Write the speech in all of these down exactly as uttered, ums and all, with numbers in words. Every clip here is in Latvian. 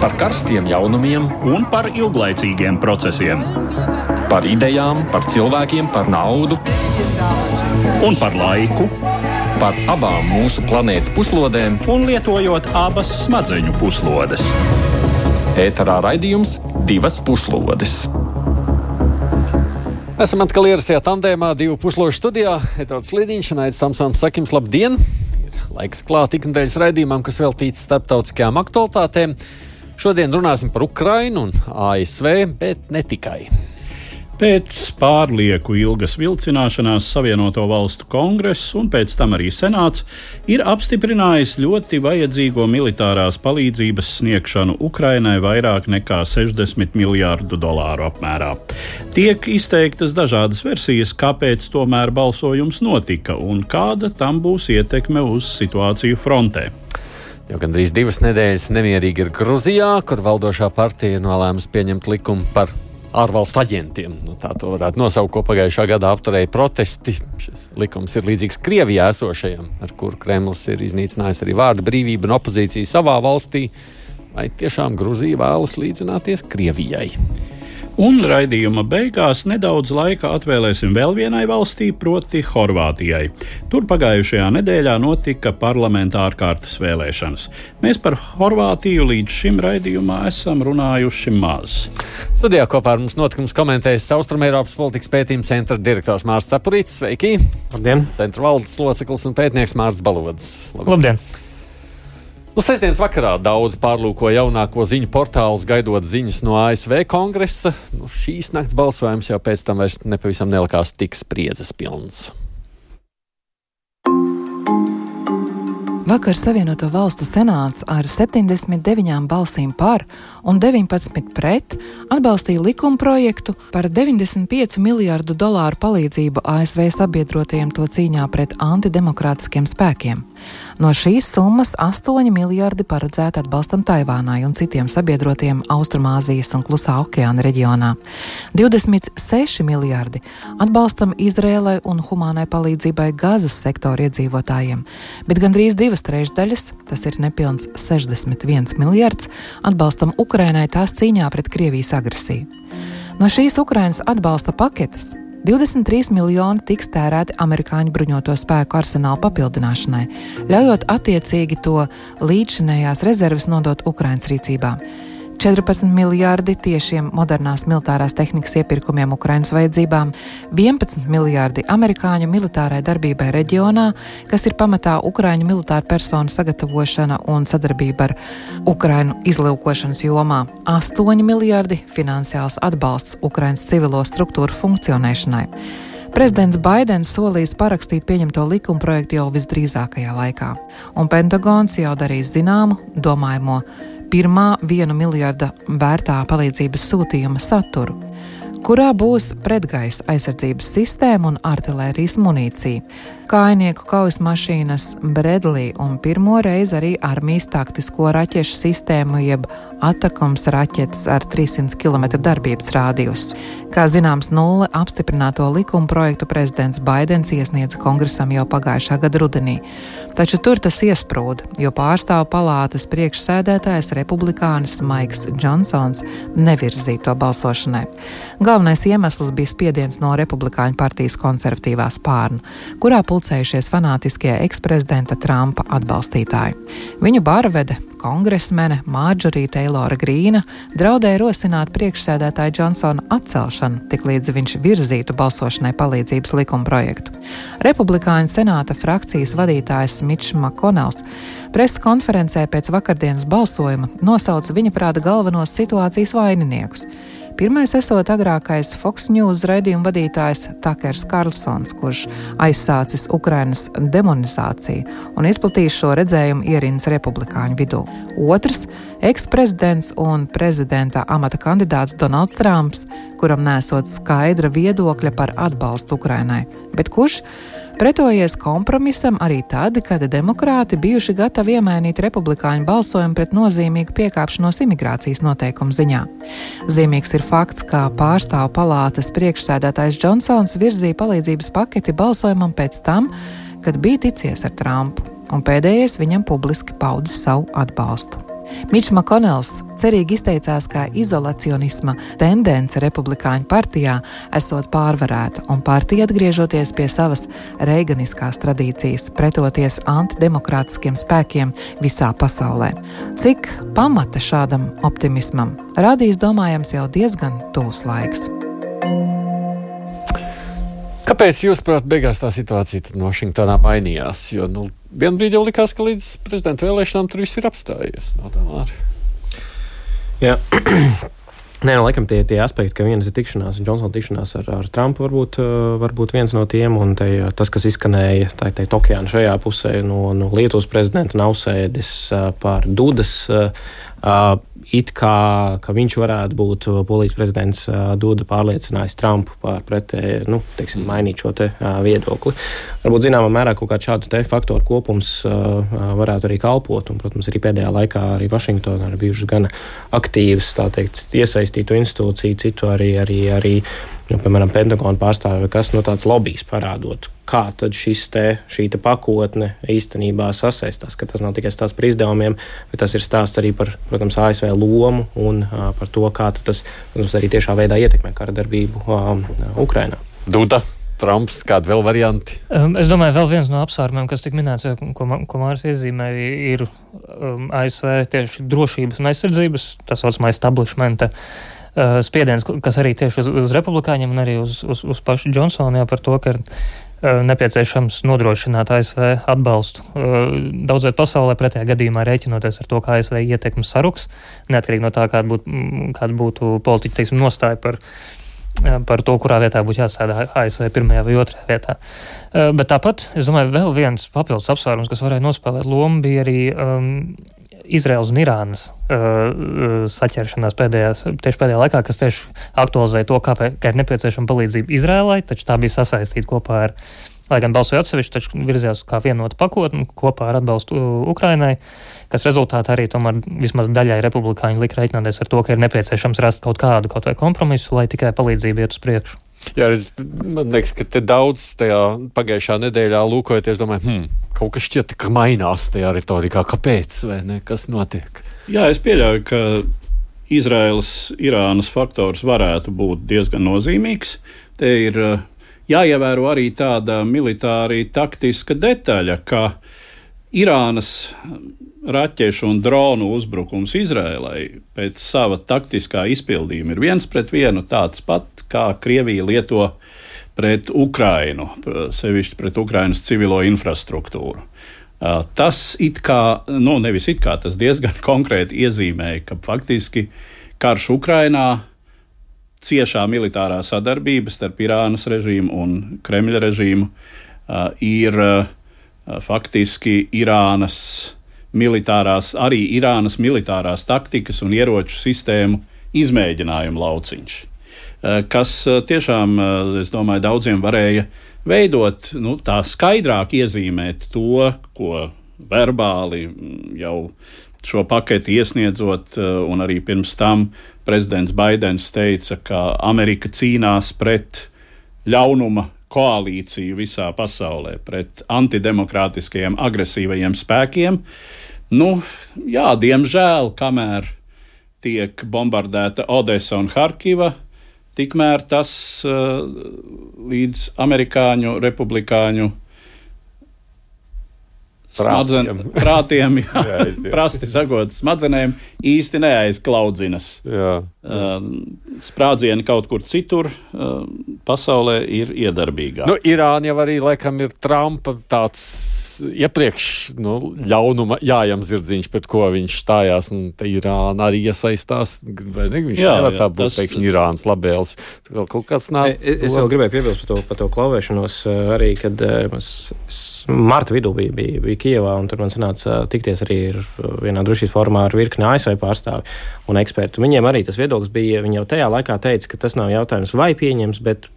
Par karstiem jaunumiem un par ilglaicīgiem procesiem. Par idejām, par cilvēkiem, par naudu Un par laiku, par abām mūsu planētas puslodēm. un lietojot abas smadzeņu puslodes. Ēterā raidījums Divas puslodes. Esam atkal ierastajā tandēmā, divu pusložu studijā. Edvards Lidiņš un Aits Tamsons saka jums labdien! Ir laiks klāt iknedēļas raidījumam, kas veltīts starptautiskajām aktualitātēm. Šodien runāsim par Ukrainu un A S V, bet ne tikai. Pēc pārlieku ilgas vilcināšanās Savienoto Valstu kongress un pēc tam arī senāts ir apstiprinājis ļoti vajadzīgo militārās palīdzības sniegšanu Ukrainai vairāk nekā sešdesmit miljārdu dolāru apmērā. Tiek izteiktas dažādas versijas, kāpēc tomēr balsojums notika un kāda tam būs ietekme uz situāciju frontē. Jau gandrīz divas nedēļas nemierīgi ir Gruzijā, kur valdošā partija nolēmusi pieņemt likumu par ārvalstu aģentiem. Nu, tā to varētu nosaukt, ko pagājušā gadā apturēja protesti. Šis likums ir līdzīgs Krievijā esošajam, ar kuru Kremlis ir iznīcinājis arī vārda brīvību un opozīciju savā valstī. Vai tiešām Gruzija vēlas līdzināties Krievijai? Un raidījuma beigās nedaudz laika atvēlēsim vēl vienai valstī, proti Horvātijai. Tur pagājušajā nedēļā notika parlamenta ārkārtas vēlēšanas. Mēs par Horvātiju līdz šim raidījumā esam runājuši maz. Studijā kopā ar mums notikums komentējas Austrumeiropas politikas pētījuma centra direktors Mārcis Cepurītis. Sveiki! Labdien! Centra valdes loceklis un pētnieks Mārcis Balodis. Labdien! Nu, sestdienas vakarā daudz pārlūko jaunāko ziņu portālus, gaidot ziņas no A S V kongresa. Nu, šīs nakts balsojums jau pēc tam vairs nepavisam nelikās tik spriedzes pilns. Vakar Savienoto Valstu senāts ar septiņdesmit deviņām balsīm par un deviņpadsmit pret atbalstīja likumprojektu par deviņdesmit piecu miljārdu dolāru palīdzību A S V sabiedrotajiem to cīņā pret antidemokrātiskiem spēkiem. No šīs summas astoņi miljārdi paredzēti atbalstam Taivānai un citiem sabiedrotiem Austrumāzijas un Klusā okeāna reģionā. divdesmit seši miljārdi atbalstam Izrēlai un humānai palīdzībai Gazas sektora iedzīvotājiem, bet gandrīz divas trešdaļas, tas ir nepilns sešdesmit viens miljards, atbalstam Ukrainai tās cīņā pret Krievijas agresiju. No šīs Ukrainas atbalsta paketes divdesmit trīs miljoni tiks tērēti amerikāņu bruņoto spēku arsenālu papildināšanai, ļaujot attiecīgi to līdzšinējās rezerves nodot Ukrainas rīcībā. četrpadsmit miljārdi tiešiem modernās militārās tehnikas iepirkumiem Ukrainas vajadzībām, vienpadsmit miljārdi amerikāņu militārai darbībai reģionā, kas ir pamatā Ukraiņu militāru personu sagatavošana un sadarbība ar Ukrainu izlūkošanas jomā, astoņi miljārdi finansiāls atbalsts Ukrainas civilo struktūru funkcionēšanai. Prezidents Baidens solījis parakstīt pieņemto likumprojektu jau visdrīzākajā laikā, un Pentagons jau darīs zināmu domājamo pirmā viena miljarda vērtā palīdzības sūtījuma saturu, kurā būs pretgaisa aizsardzības sistēma un artilērijas munīcija, kājnieku kaujas mašīnas Bredlī un pirmo reizi arī armijas taktisko raķešu sistēmu jeb Atakums raķetes ar trīssimtu kilometru darbības rādijus. Kā zināms, nulle apstiprināto likuma projektu prezidents Baidens iesniedza kongresam jau pagājušā gada rudenī. Taču tur tas iesprūda, jo pārstāvu palātas priekšsēdētājs republikānis Maiks Džonsons nevirzīja to balsošanai. Galvenais iemesls bija spiediens no republikāņu partijas konservatīvā spārna, kurā pulcējušies fanātiskie eksprezidenta Trumpa atbalstītāji. Viņu barvede, kongresmene Marjorie Teilora Grīna, draudēja rosināt priekšsēdētāju Džonsona atcelšanu, tiklīdz viņš virzītu balsošanai palīdzības likumprojektu. Republikāņu senāta frakcijas vadītājs Mičs Makonels preses konferencē pēc vakardienas balsojuma nosauca viņa prāta galvenos situācijas vaininiekus. Pirmais esot agrākais Fox News raidījuma vadītājs Takers Karlsons, kurš aizsācis Ukrainas demonizāciju un izplatījis šo redzējumu ierindas republikāņu vidū. Otrs – eksprezidents un prezidenta amata kandidāts Donalds Trumps, kuram nesot skaidra viedokļa par atbalstu Ukrainai, bet kurš pretojies kompromisam arī tad, kad demokrāti bijuši gatavi iemainīt republikāņu balsojumu pret nozīmīgu piekāpšanos imigrācijas noteikumu ziņā. Zīmīgs ir fakts, ka pārstāvu palātas priekšsēdētājs Džonsons virzīja palīdzības paketi balsojumam pēc tam, kad bija ticies ar Trumpu, un pēdējais viņam publiski paudis savu atbalstu. Mičs Makonels cerīgi izteicās, ka izolacionisma tendence republikāņu partijā esot pārvarēta un partija atgriežoties pie savas reiganiskās tradīcijas, pretoties antidemokrātiskiem spēkiem visā pasaulē. Cik pamata šādam optimismam rādīs, domājams, jau diezgan tūs laiks. Kāpēc, jūsuprāt, beigās tā situācija no Vašingtonā mainījās? Jo, nu, vienu brīdi jau likās, ka līdz prezidenta vēlēšanām tur viss ir apstājies. No tā māri. Jā. Nē, no laikam tie, tie aspekti, ka vienas ir tikšanās, Džonsona tikšanās ar, ar Trumpu varbūt, varbūt viens no tiem, un te, tas, kas izskanēja, tā teikt, okeāna šajā pusē no, no Lietuvas prezidenta Nausēdis par Dudas, it kā, ka viņš varētu būt Polijas prezidents Duda pārliecinājis Trumpu par pretē, nu, teiksim, mainīt šo te viedokli. Varbūt zināmā mērā kaut kāds šādu te faktoru kopums varētu arī kalpot, un, protams, arī pēdējā laikā arī Vašingtonā ir bijušas gana aktīvas, tā teikt, iesaistītu institūciju, citu arī, arī, arī nu, piemēram, Pentagona pārstāvi, kas no tāds lobijs parādot, kā tad šis te, šī te pakotne īstenībā sasaistās, ka tas nav tikai stāsts par izdevumiem, bet tas ir stāsts arī par, protams, A S V lomu un uh, par to, kā tas, protams, arī tiešā veidā ietekmē kara darbību um, Ukrainā. Duda, Trumps, kādi vēl varianti? Um, es domāju, vēl viens no apsvērumiem, kas tik minēts, ko, ko Māris iezīmēja, ir um, A S V tieši drošības un aizsardzības, tas saucamā establishmenta uh, spiediens, kas arī tieši uz, uz republikāņiem un arī uz, uz, uz pašu Džonsonu, jā, par to, ka nepieciešams nodrošināt A S V atbalstu daudzviet pasaulē, pretējā gadījumā rēķinoties ar to, kā A S V ietekmes saruks, neatkarīgi no tā, kāda būtu, kāda būtu politiķa, teiksim, nostāja par, par to, kurā vietā būtu jāsēdā A S V pirmajā vai otrajā vietā. Bet tāpat, es domāju, vēl viens papildus apsvērums, kas varēja nospēlēt lomu, bija arī um, Izraēlas un Irānas uh, saķeršanās pēdējās, tieši pēdējā laikā, kas tieši aktualizēja to, kāpēc, ka ir nepieciešama palīdzība Izraēlai, taču tā bija sasaistīta kopā ar, lai gan balsoja atsevišķi, taču virzījās kā vienota pakotne kopā ar atbalstu Ukrainai, kas rezultātā arī tomēr vismaz daļai republikāņi lika rēķināties ar to, ka ir nepieciešams rast kaut kādu kaut vai kompromisu, lai tikai palīdzība iet uz priekšu. Jā, es, man liekas, ka te daudz tajā pagājušā nedēļā lūkojoties, domāju, hmm, kaut kas šķiet, ka mainās tajā retorikā. Kāpēc, vai ne? Kas notiek? Jā, es pieļauju, ka Izraēlas-Irānas faktors varētu būt diezgan nozīmīgs. Te ir jāievēro arī tāda militāri taktiska detaļa, ka Irānas raķešu un dronu uzbrukums Izraēlai pēc sava taktiskā izpildījuma ir viens pret vienu tāds pat, kā Krievija lieto pret Ukrainu, sevišķi pret Ukrainas civilo infrastruktūru. Tas it kā, nu nevis it kā, tas diezgan konkrēti iezīmēja, ka faktiski karš Ukrainā, ciešā militārā sadarbība starp Irānas režīmu un Kremļa režīmu ir faktiski Irānas militārās, arī Irānas militārās taktikas un ieroču sistēmu izmēģinājumu lauciņš, kas tiešām, es domāju, daudziem varēja veidot, nu, tā skaidrāk iezīmēt to, ko verbāli jau šo paketi iesniedzot, un arī pirms tam prezidents Baidens teica, ka Amerika cīnās pret ļaunuma koalīciju visā pasaulē, pret antidemokrātiskajiem agresīvajiem spēkiem. Nu, jā, diemžēl, kamēr tiek bombardēta Odesa un Harkiva, tikmēr tas uh, līdz amerikāņu republikāņu Smadzen, prātiem, jā, jā, jā. prasti sagot smadzenēm, īsti neaizklaudzinas. Jā. Uh, sprādzieni kaut kur citur uh, pasaulē ir iedarbīgāk. Nu, Irāna jau arī, laikam, ir Trumpa tāds iepriekš nu, ļaunuma jājams zirdziņš, pret ko viņš stājās, un te Irāna arī iesaistās. Vai ne? Viņš jā, nevar tā būt, tas... teikšņi, Irānas labēls. Kaut kāds nāk. Es, es vēl gribēju piebilst par to, par to klauvēšanos arī, kad es, es marta vidū bija, bija, bija Kijevā, un tur man sanāca tikties arī vienā drošības formā ar virkni A S V pārstāvi un ekspertu. Viņiem arī tas viedoklis bija, viņi jau tajā laikā teica, ka tas nav jautājums vai pieņems, bet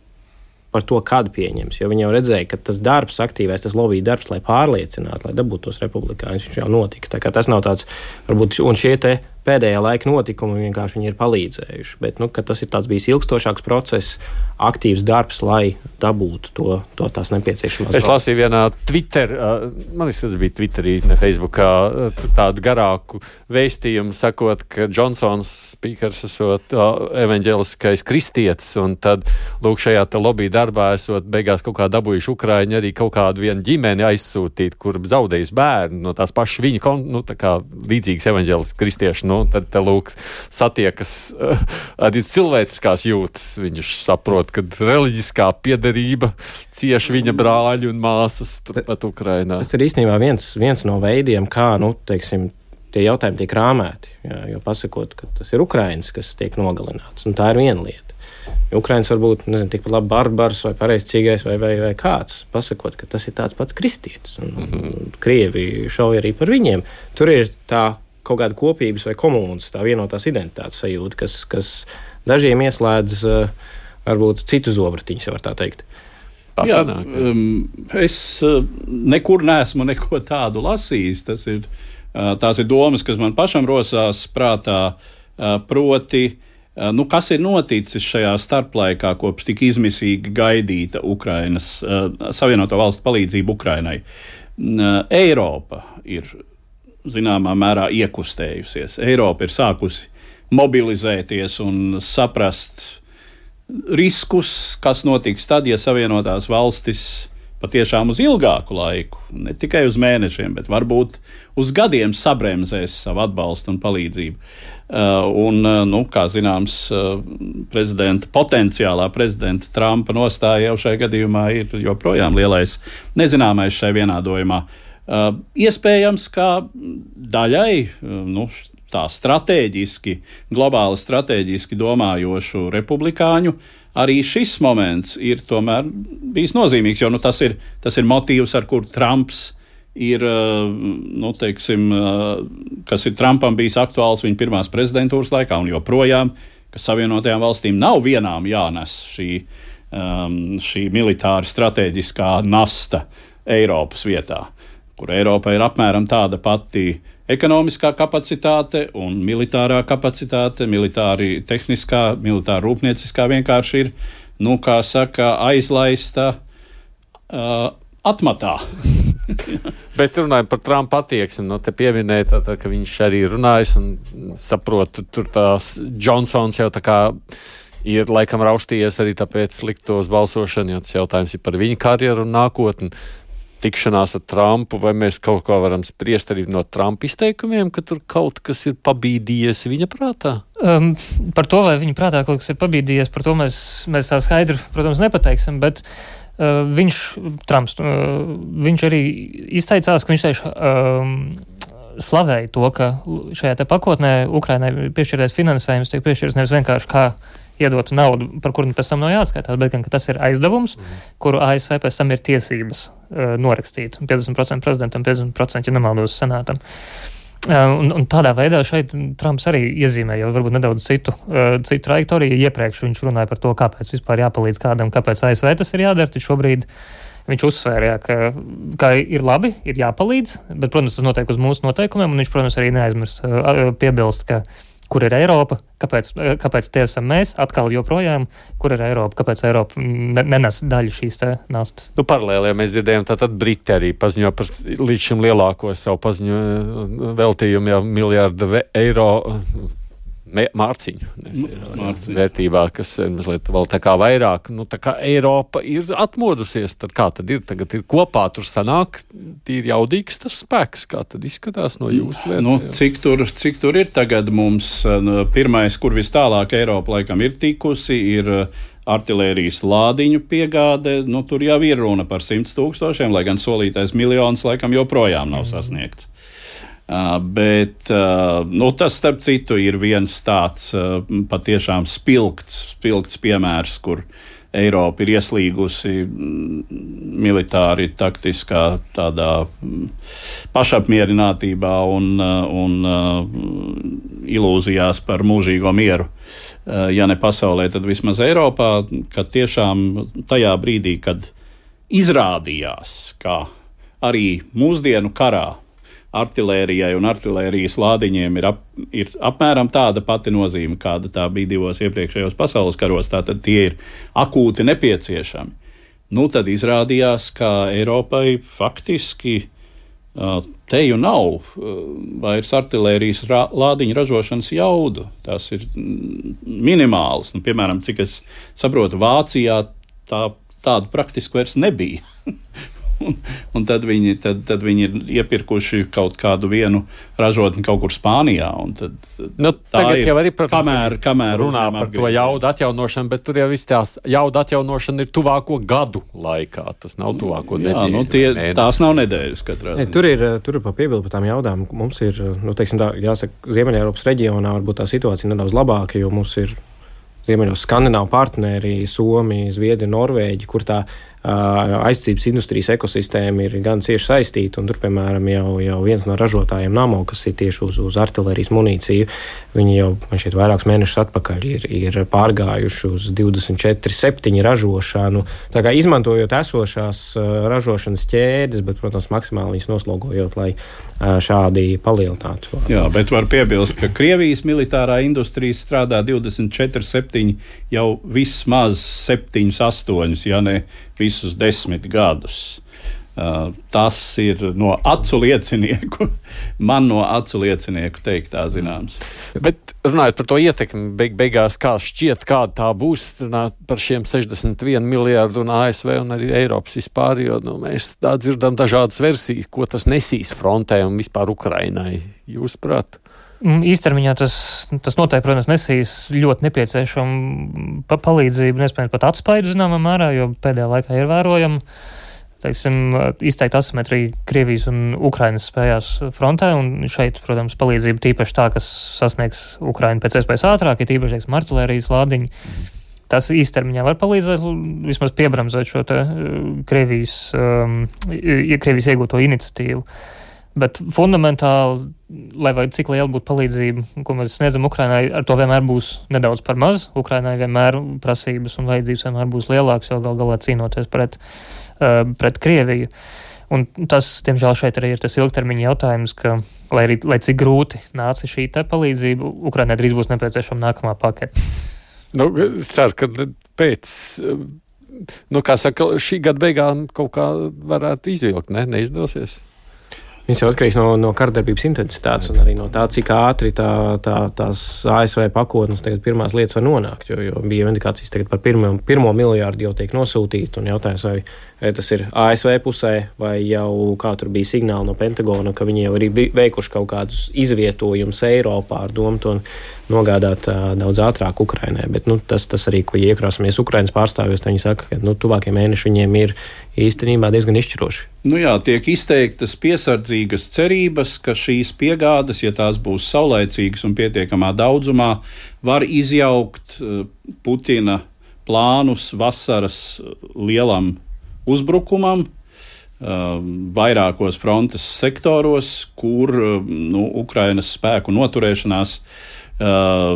par to, kad pieņems, jo viņi jau redzēja, ka tas darbs, aktīvais, tas lobby darbs, lai pārliecinātu, lai dabūtu tos republikāņus, viņš jau notika. Tā kā tas nav tāds, varbūt, un šie te pēdējā laika notikumi vienkārši viņi ir palīdzējuši. Bet, nu, ka tas ir tāds bijis ilgstošāks process, aktīvs darbs, lai dabūtu to, to tās nepieciešamās. Es lasīju vienā Twitter, man liekas, tas bija Twitterī, ne Facebookā, tādu garāku vēstījumu, sakot, ka Džonsons spīkers esot evaņģeliskais kristietis, un tad, lūk, šajā te lobby darbā esot beigās kaut kā dabūjuši Ukraiņi arī kaut kādu vienu ģimeni aizsūtīt, kur zaudējis bērnu no tās pašas viņa, nu, tā kā līdzīgas evaņģeliskas kristieši, nu, tad te lūk satiekas uh, arī cilvēciskās jūtas. Viņš saprot, ka reliģiskā piederība cieši viņa brāļi un māsas turpat Ukrainā. Tas ir īstenībā viens, viens no veidiem, kā, nu, teiksim, tie jautājumi tiek rāmēti, jā, jo pasakot, ka tas ir Ukrainis, kas tiek nogalināts, un tā ir viena lieta. Ukrainis varbūt, nezinu, tikpat labi barbars vai pareizcīgais vai, vai, vai kāds, pasakot, ka tas ir tāds pats kristietis, un, mm-hmm. un Krievi šauja arī par viņiem. Tur ir tā kaut kāda kopības vai komunas, tā vienotās identitātes sajūta, kas, kas dažiem ieslēdz uh, varbūt citu zobratiņus, var tā teikt. Tā Jā, um, es uh, nekur neesmu neko tādu lasījis. Tas ir, uh, tās ir domas, kas man pašam rosās prātā, uh, proti, uh, nu, kas ir noticis šajā starplaikā, kopš tik izmisīgi gaidīta Ukrainas, uh, Savienoto Valstu palīdzību Ukrainai. Uh, Eiropa ir zināmā mērā iekustējusies. Eiropa ir sākusi mobilizēties un saprast riskus, kas notiks tad, ja Savienotās valstis patiešām uz ilgāku laiku, ne tikai uz mēnešiem, bet varbūt uz gadiem sabremzēs savu atbalstu un palīdzību. Uh, un, uh, nu, kā zināms, uh, prezidenta, potenciālā prezidenta Trumpa nostāja jau šajā gadījumā ir joprojām lielais nezināmais šai vienādojumā. Uh, iespējams, ka daļai uh, nu, tā stratēģiski, globāli stratēģiski domājošu republikāņu arī šis moments ir tomēr bijis nozīmīgs, jo nu, tas, ir, tas ir motīvs, ar kur Trumps ir, uh, nu, teiksim, uh, kas ir Trumpam bijis aktuāls viņa pirmās prezidentūras laikā un joprojām, ka Savienotajām valstīm nav vienām jānes šī, um, šī militāra stratēģiskā nasta Eiropas vietā, kur Eiropa ir apmēram tāda pati ekonomiskā kapacitāte un militārā kapacitāte, militāri tehniskā, militāra rūpnieciskā vienkārši ir, nu, kā saka, aizlaista uh, atmatā. Bet runājot par Trumpa attieksmi, no te pieminēja, tā, tā, ka viņš arī runājas un saprotu, tur tās Džonsons jau tā kā ir laikam rauštījies arī tāpēc liktos balsošanu, jo tas jautājums ir par viņa karjeru un nākotni. Tikšanās ar Trumpu, vai mēs kaut ko varam spriest arī no Trumpa izteikumiem, ka tur kaut kas ir pabīdījies viņa prātā? Um, par to, vai viņa prātā kaut kas ir pabīdījies, par to mēs, mēs tā skaidri, protams, nepateiksim, bet uh, viņš, Trumps, uh, viņš arī izteicās, ka viņš tieši um, slavēja to, ka šajā te pakotnē Ukrainai piešķirtais finansējums tiek piešķirts nevis vienkārši kā iedot naudu, par kuru pēc tam nav jāatskaitās, bet gan, ka tas ir aizdevums, mm. kuru A S V pēc tam ir tiesības uh, norakstīt. piecdesmit procenti prezidentam, piecdesmit procenti, ja nemaldos, senātam. Uh, un, un tādā veidā šeit Trumps arī iezīmē jau varbūt nedaudz citu, uh, citu trajektoriju. Iepriekš viņš runāja par to, kāpēc vispār jāpalīdz kādam, kāpēc A S V tas ir jādara, tad šobrīd viņš uzsvēra, jā, ka, ka ir labi, ir jāpalīdz, bet, protams, tas notiek uz mūsu noteikumiem, un viņš, protams, arī neaizmirs uh, piebilst, ka kur ir Eiropa, kāpēc, kāpēc tie esam mēs, atkal joprojām, kur ir Eiropa, kāpēc Eiropa nenes daļu šīs te nastas. Nu, paralēli, ja mēs dzirdējām, tātad Briti arī paziņo par līdz šim lielāko savu paziņo veltījumu jau miljārdu eiro mārciņu, mārciņu vērtībā, kas ir mazliet vēl tā kā vairāk. Nu, tā kā Eiropa ir atmodusies, tad kā tad ir? Tagad ir kopā tur sanāk, tīri jaudīgs tas spēks, kā tad izskatās no jūsu vērtējuma? Nu, cik tur, cik tur ir tagad mums? Pirmais, kur vis tālāk Eiropa laikam ir tikusi, ir artilērijas lādiņu piegāde. Nu, tur jau ir runa par simts tūkstošiem, lai gan solītais miljons laikam joprojām nav sasniegts. Uh, bet uh, nu, tas, starp citu, ir viens tāds uh, patiešām spilgts, spilgts piemērs, kur Eiropa ir ieslīgusi mm, militāri taktiskā tādā mm, pašapmierinātībā un, uh, un uh, ilūzijās par mūžīgo mieru. Uh, ja ne pasaulē, tad vismaz Eiropā, kad tiešām tajā brīdī, kad izrādījās, ka arī mūsdienu karā artilērijai un artilērijas lādiņiem ir, ap, ir apmēram tāda pati nozīme, kāda tā bija divos iepriekšējos pasaules karos, tātad tie ir akūti nepieciešami. Nu, tad izrādījās, ka Eiropai faktiski uh, teju nav uh, vairs artilērijas ra- lādiņu ražošanas jaudu. Tas ir minimāls. Nu, piemēram, cik es saprotu, Vācijā tā, tādu praktiski vairs nebija. Un, un tad, viņi, tad, tad viņi ir iepirkuši kaut kādu vienu ražotni kaut kur Spānijā. Tad, nu, tagad ir, jau arī protams, kamēr, kamēr runā par atgriež. to jaudu atjaunošanu, bet tur jau viss tās jauda atjaunošana ir tuvāko gadu laikā. Tas nav tuvāko Jā, nedēļu. Nu, tie, tās nav nedēļas katrā. Ne, tur ir, tur ir pa piebildu par tām jaudām. Mums ir, nu, teiksim, tā, jāsaka, Ziemeļeiropas reģionā varbūt tā situācija nedaudz labāka, jo mums ir Ziemeļos skandināvu partneri, Somija, Zviedrija, Norvēģija, kur tā aizsardzības industrijas ekosistēma ir gan cieši saistīta, un tur, piemēram, jau, jau viens no ražotājiem Namo, kas ir tieši uz, uz artilērijas munīciju, viņi jau, man šķiet, vairākus mēnešus atpakaļ ir, ir pārgājuši uz divdesmit četri septiņi ražošanu, tā kā izmantojot esošās ražošanas ķēdes, bet, protams, maksimāli viņas noslogojot, lai šādi palielinātu. Jā, bet var piebilst, ka Krievijas militārā industrija strādā divdesmit četri septiņi jau vismaz septiņus, astoņus, ja ne visus desmit gadus. Uh, tas ir no acu liecinieku, man no acu liecinieku teiktā zināms. Bet runājot par to ietekmi, beig, beigās kā šķiet, kāda tā būs, runāt par šiem sešdesmit vienu miljārdu un A S V un arī Eiropas vispār, jo nu, mēs tā dzirdam dažādas versijas, ko tas nesīs frontē un vispār Ukrainai. Jūs prāt? Īstermiņā tas, tas noteikti, protams, nesīs ļoti nepieciešamu pa palīdzību, nespējams pat atspaidu zināmā mērā, jo pēdējā laikā ir vērojama, teiksim, izteikta asimetrija Krievijas un Ukrainas spējās frontē, un šeit, protams, palīdzība tīpaši tā, kas sasniegs Ukrainu pēc iespējas ātrāk, ir tīpaši, teiksim, artilērijas lādiņi. Tas īstermiņā var palīdzēt, vismaz piebramzēt šo te Krievijas, um, Krievijas iegūto iniciatīvu. Bet fundamentāli, lai vai cik liela būtu palīdzība, ko mēs sniedzam Ukrainai, ar to vienmēr būs nedaudz par maz. Ukrainai vienmēr prasības un vajadzības vienmēr būs lielākas, jo gal galā cīnoties pret, uh, pret Krieviju. Un tas, diemžēl, šeit arī ir tas ilgtermiņa jautājums, ka, lai, arī, lai cik grūti nāca šī te palīdzība, Ukrainai drīz būs nepieciešama nākamā pakete. Nu, es ceru, ka pēc, nu, kā saka, šī gada beigām kaut kā varētu izvilkt, ne? Neizdosies? Viņš jau atkarīgs no, no kardarbības intensitātes un arī no tā, cik ātri tā, tā, tās A S V pakotnes tagad pirmās lietas var nonākt, jo, jo bija indikācijas tagad par pirmo, pirmo miljārdu jau tiek nosūtīti, un jautājums, vai, vai tas ir A S V pusē, vai jau kā tur bija signāli no Pentagona, ka viņi jau ir veikuši kaut kādus izvietojumus Eiropā ar domu to nogādāt uh, daudz ātrāk Ukrainai, bet nu, tas, tas arī, ko iekrāsamies Ukrainas pārstāvjos, viņi saka, ka nu, tuvākie mēneši viņiem ir īstenībā diezgan izšķiroši. Nu jā, tiek izteiktas piesardzīgas cerības, ka šīs piegādes, ja tās būs saulaicīgas un pietiekamā daudzumā, var izjaukt Putina plānus vasaras lielam uzbrukumam vairākos frontes sektoros, kur nu, Ukrainas spēku noturēšanās Uh,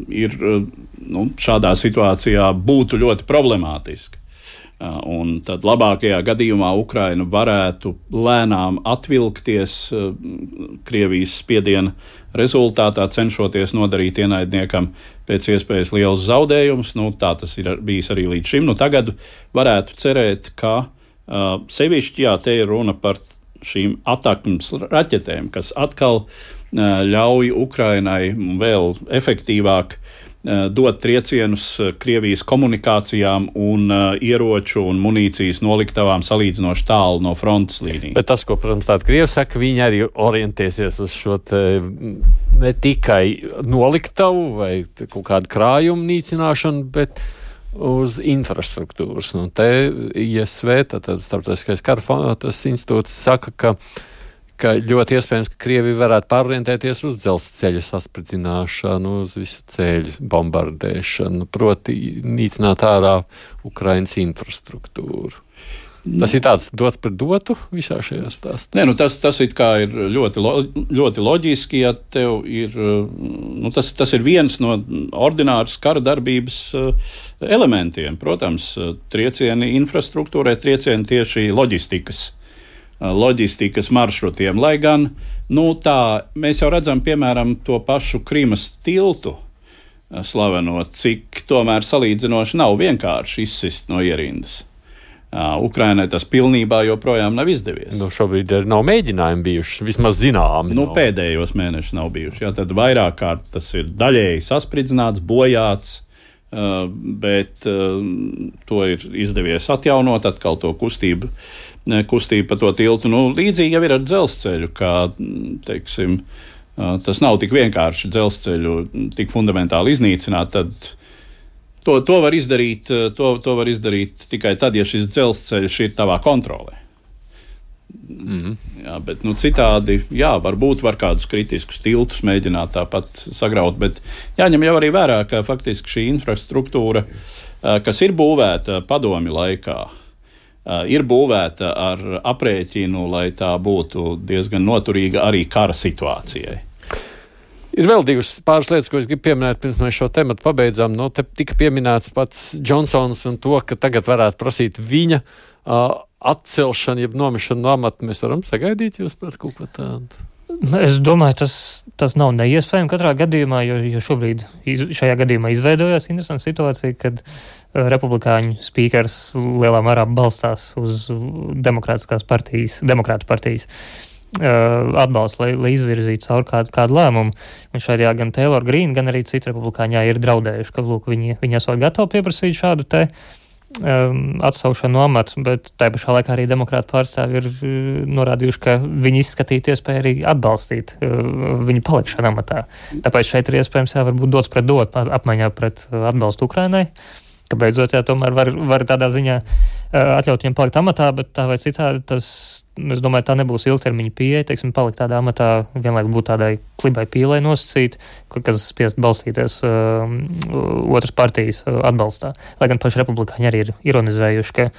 ir nu, šādā situācijā būtu ļoti problemātiski. Uh, un tad labākajā gadījumā Ukraina varētu lēnām atvilkties uh, Krievijas spiediena rezultātā, cenšoties nodarīt ienaidniekam pēc iespējas lielus zaudējumus. Nu, tā tas ir bijis arī līdz šim. Nu, tagad varētu cerēt, ka uh, sevišķi, jā, te ir runa par šīm atakmes raķetēm, kas atkal ļauj Ukrainai vēl efektīvāk dot triecienus Krievijas komunikācijām un ieroču un munīcijas noliktavām salīdzinoši tālu no frontes līnijas. Bet tas, ko, protams, tāda Krievi saka, viņi arī orientēsies uz šo te ne tikai noliktavu vai kaut kādu krājumu nīcināšanu, bet uz infrastruktūras. Nu, te I S V, tātad Starptautiskais kara institūts, saka, ka ka ļoti iespējams, ka Krievija varētu pārorientēties uz dzelzceļa saspridzināšanu, uz visu ceļu bombardēšanu, proti nīcināt ārā Ukrainas infrastruktūru. Tas ir tāds dots par dotu visā šajā stāstā. Nē, nu tas, tas it kā ir ļoti, lo, ļoti loģiski, ja tev ir, nu tas, tas ir viens no ordināras kara darbības elementiem. Protams, triecieni infrastruktūrai, triecieni tieši loģistikas loģistikas maršrutiem. Lai gan nu, tā, mēs jau redzam, piemēram, to pašu Krimas tiltu slaveno, cik tomēr salīdzinoši nav vienkārši izsist no ierindas. Ukrainai tas pilnībā joprojām nav izdevies. Nu, šobrīd nav mēģinājumi bijuši, vismaz zināmi. Nu, pēdējos mēnešus nav bijuši. Jā, tad vairāk kārt tas ir daļēji saspridzināts, bojāts, bet to ir izdevies atjaunot, atkal to kustību, kustību pa to tiltu. Nu, līdzīgi jau ir ar dzelzceļu, kā, teiksim, tas nav tik vienkārši dzelzceļu tik fundamentāli iznīcināt, tad to, to, var izdarīt, to, to var izdarīt tikai tad, ja šis dzelzceļš ir tavā kontrolē. Mm. Jā, bet nu, citādi, jā, varbūt var kādus kritiskus tiltus mēģināt tāpat sagraut, bet jāņem jau arī vērā, ka faktiski šī infrastruktūra, kas ir būvēta padomju laikā, ir būvēta ar aprēķinu, lai tā būtu diezgan noturīga arī kara situācijai. Ir vēl divas pāris lietas, ko es gribu pieminēt, pirms mēs šo tematu pabeidzām. Nu, te tika pieminēts pats Džonsons un to, ka tagad varētu prasīt viņa uh, atcelšanu, jeb nomešanu no amata. Mēs varam sagaidīt jūs par kaut ko tādu? Es domāju, tas, tas nav neiespējami katrā gadījumā, jo, jo šobrīd iz, šajā gadījumā izveidojās interesanta situācija, kad uh, republikāņu spīkers lielā mērā balstās uz demokrātiskās partijas, demokrātu partijas atbalstu, lai, lai izvirzītu caur kādu, kādu lēmumu. Un šajā gan Taylor Green, gan arī citi republikāņā ir draudējuši, ka lūk, viņi, viņi esot gatavi pieprasīt šādu te um, atsaukšanu no amata, bet tai pašā laikā arī demokrātu pārstāvi ir uh, norādījuši, ka viņi izskatītu iespēju arī atbalstīt uh, viņu palikšanu amatā. Tāpēc šeit ir iespējams jā, varbūt dots pret dot apmaiņā pret uh, atbalstu Ukrainai, ka beidzot jā, tomēr var, var tādā ziņā uh, atļaut viņam palikt amatā, bet tā vai citādi tas, es domāju, tā nebūs ilgtermiņa pieeja, teiksim, palikt tādā amatā, vienlaik būt tādai klibai pīlai nosacīt, kas spiest balstīties uh, otras partijas uh, atbalstā. Lai gan paši republikāņi arī ir ironizējuši, ka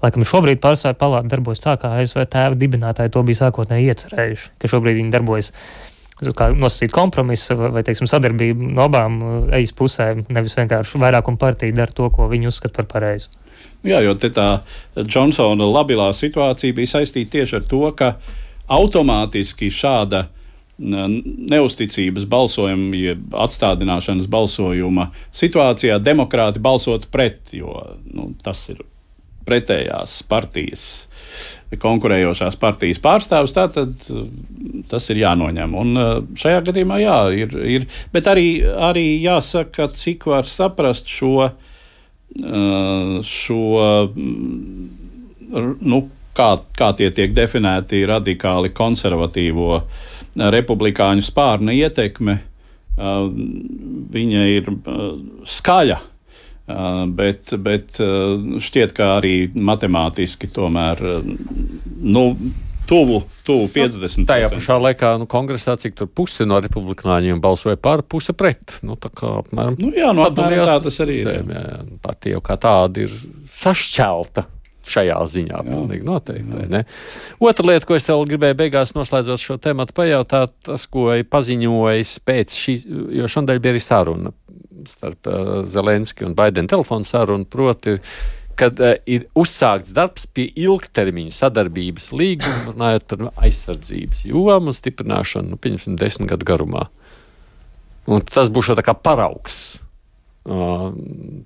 laikam šobrīd pārstāvju palāta darbojas tā, kā A S V tēva dibinātāji to bija sākotnēji iecerējuši, ka šobrīd viņi darbojas kā nosacīt kompromisu vai, vai teiksim, sadarbību no abām ejas pusēm, nevis vienkārši vairākuma partija dara to, ko viņi uzskata par pareizu. Jā, jo te tā Džonsona labilā situācija bija saistīta tieši ar to, ka automātiski šāda neusticības balsojuma, jeb atstādināšanas balsojuma situācijā demokrāti balsotu pret, jo nu, tas ir pretējās partijas, konkurējošās partijas pārstāvs, tātad tas ir jānoņem. Un šajā gadījumā jā, ir, ir bet arī, arī jāsaka, cik var saprast šo, šo nu, kā, kā tie tiek definēti radikāli konservatīvo republikāņu spārna ietekme, viņa ir skaļa. Bet, bet šķiet, ka arī matemātiski tomēr nu, tuvu, tuvu piecdesmit procenti. Tajā pašā laikā nu, kongresā, cik tur puse no republikāņiem balsoja par, puse pret. Nu, tā kā apmēram. Nu, jā, no apmēram tā tas arī ir. Jā, jā, partija jau kā tāda ir sašķelta šajā ziņā, pilnīgi noteikti. Ne? Otra lieta, ko es tev gribēju beigās noslēdzot šo tematu pajautāt, tas, ko paziņojis pēc šīs, jo šodien bija arī saruna starp uh, Zelenski un Baidena telefonu sarunu, proti, kad uh, ir uzsākts darbs pie ilgtermiņa sadarbības līguma, runājot par aizsardzības jomu un stiprināšanu, nu, pieņemsim, desmit gadu garumā. Un tas būs tā kā paraugs uh,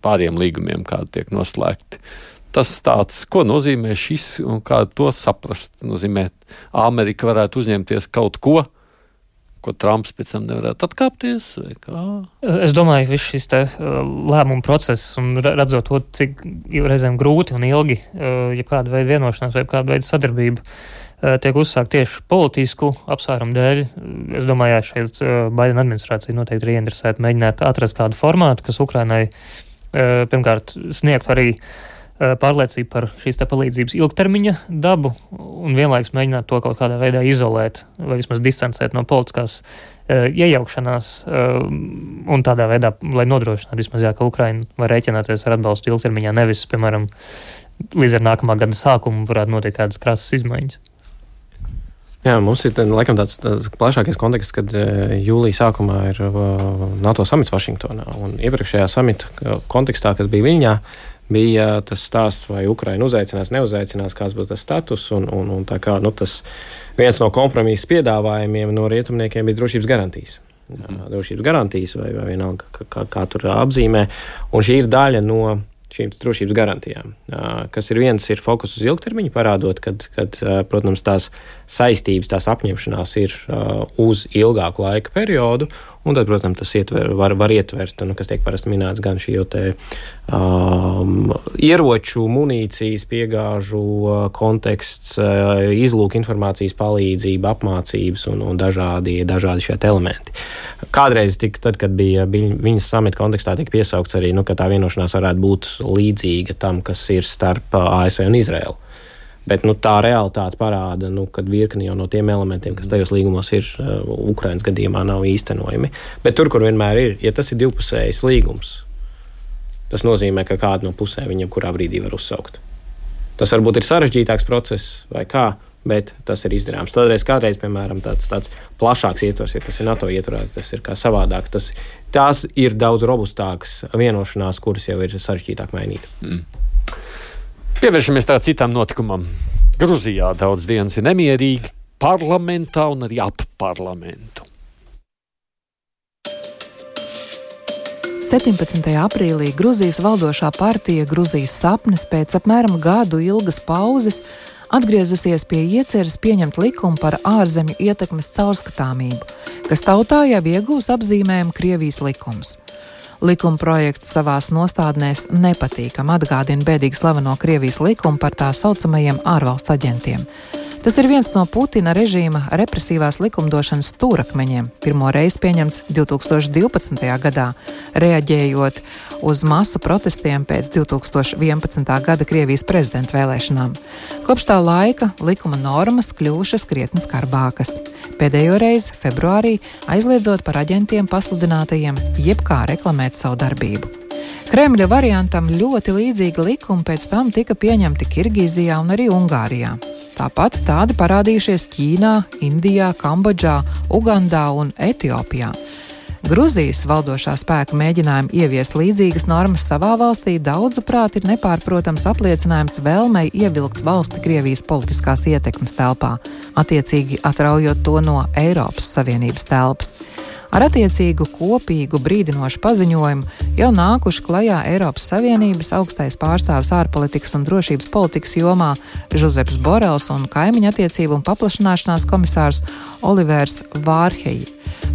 pāriem līgumiem, kādi tiek noslēgti. Tas tāds, ko nozīmē šis un kā to saprast, nozīmē, Amerika varētu uzņemties kaut ko, ko Trumps pēc tam nevarētu atkāpties? Vai kā? Es domāju, viss šis te lēmumu process un redzot to, cik reizēm grūti un ilgi, ja kāda veida vienošanās vai kāda veida sadarbība tiek uzsākt tieši politisku apsvērumu dēļ. Es domāju, jā, šeit Baidena administrācija noteikti ir ieinteresēta mēģināt atrast kādu formātu, kas Ukrainai pirmkārt sniegtu arī pārliecību par šīs te palīdzības ilgtermiņa dabu un vienlaikus mēģināt to kaut kādā veidā izolēt vai vismaz distancēt no politiskās uh, iejaukšanās uh, un tādā veidā, lai nodrošinātu vismaz jā, ka Ukraina var rēķināties ar atbalstu ilgtermiņā, nevis, piemēram, līdz ar nākamā gada sākumu varētu notiek kādas krasas izmaiņas. Jā, mums ir laikam tāds, tāds plašākais konteksts, kad jūlija sākumā ir NATO samits Vašingtonā un iepriekšējā samita kontekstā, kas bija Viļņā, bija tas stāsts, vai Ukraina uzaicinās, neuzaicinās, kāds būs tas status. Un, un, un tā kā, nu, tas viens no kompromisa piedāvājumiem no rietumniekiem bija drošības garantijas. Mm. Drošības garantijas vai, vai vienalga, kā, kā, kā tur apzīmē. Un šī ir daļa no šīm drošības garantijām, kas ir viens ir fokus uz ilgtermiņu, parādot, kad, kad protams, tās saistības, tās apņemšanās ir uz ilgāku laika periodu, un tad, protams, tas ietver, var, var ietvert, nu, kas tiek parasti minēts, gan šī jau te um, ieroču, munīcijas, piegāžu konteksts, izlūk informācijas palīdzība, apmācības un, un dažādi, dažādi šie elementi. Kādreiz, tik, tad, kad bija viņas samita kontekstā, tika piesaukts arī, nu, ka tā vienošanās varētu būt līdzīga tam, kas ir starp A S V un Izraelu. Bet nu, tā realitāte parāda, nu, ka virkni jau no tiem elementiem, kas tajos līgumos ir, uh, Ukrainas gadījumā nav īstenojami. Bet tur, kur vienmēr ir, ja tas ir divpusējs līgums, tas nozīmē, ka kādu no pusēm viņam kurā brīdī var uzsaukt. Tas varbūt ir sarežģītāks process vai kā, bet tas ir izdarāms. Tādreiz kādreiz, piemēram, tāds, tāds plašāks ietvers, ja tas ir NATO ietvarās, tas ir kā savādāk. Tas, tās ir daudz robustākas vienošanās, kuras jau ir sarežģītāk mainīt. Mm. Pievēršamies tā citam notikumam. Gruzijā daudz dienas ir nemierīgi parlamentā un arī ap parlamentu. septiņpadsmitajā aprīlī Gruzijas valdošā partija Gruzijas sapnis pēc apmēram gadu ilgas pauzes atgriezusies pie ieceres pieņemt likumu par ārzemju ietekmes caurskatāmību, kas tautā jau iegūs apzīmējumu Krievijas likums. Likuma projekts savās nostādnēs nepatīkam atgādina bēdīgi slaveno Krievijas likumu par tā saucamajiem ārvalstu aģentiem. Tas ir viens no Putina režīma represīvās likumdošanas stūrakmeņiem, pirmo reizi pieņemts divi tūkstoši divpadsmitajā gadā, reaģējot uz masu protestiem pēc divi tūkstoši vienpadsmitā gada Krievijas prezidenta vēlēšanām. Kopš tā laika likuma normas kļuvušas krietni skarbākas. Pēdējo reizi februārī aizliedzot par aģentiem pasludinātajiem jebkā reklamēt savu darbību. Kremļa variantam ļoti līdzīgi likumi pēc tam tika pieņemti Kirgīzijā un arī Ungārijā. Tāpat tādi parādījušies Ķīnā, Indijā, Kambodžā, Ugandā un Etiopijā. Gruzijas valdošā spēka mēģinājumi ieviest līdzīgas normas savā valstī daudzuprāt ir nepārprotams apliecinājums vēlmei ievilkt valsti Krievijas politiskās ietekmes telpā, attiecīgi atraujot to no Eiropas Savienības telpas. Ar attiecīgu kopīgu brīdinošu paziņojumu jau nākuši klajā Eiropas Savienības augstais pārstāvis ārpolitikas un drošības politikas jomā Žuzeps Borels un kaimiņu attiecību un paplašanāšanās komisārs Olivers Vārheji.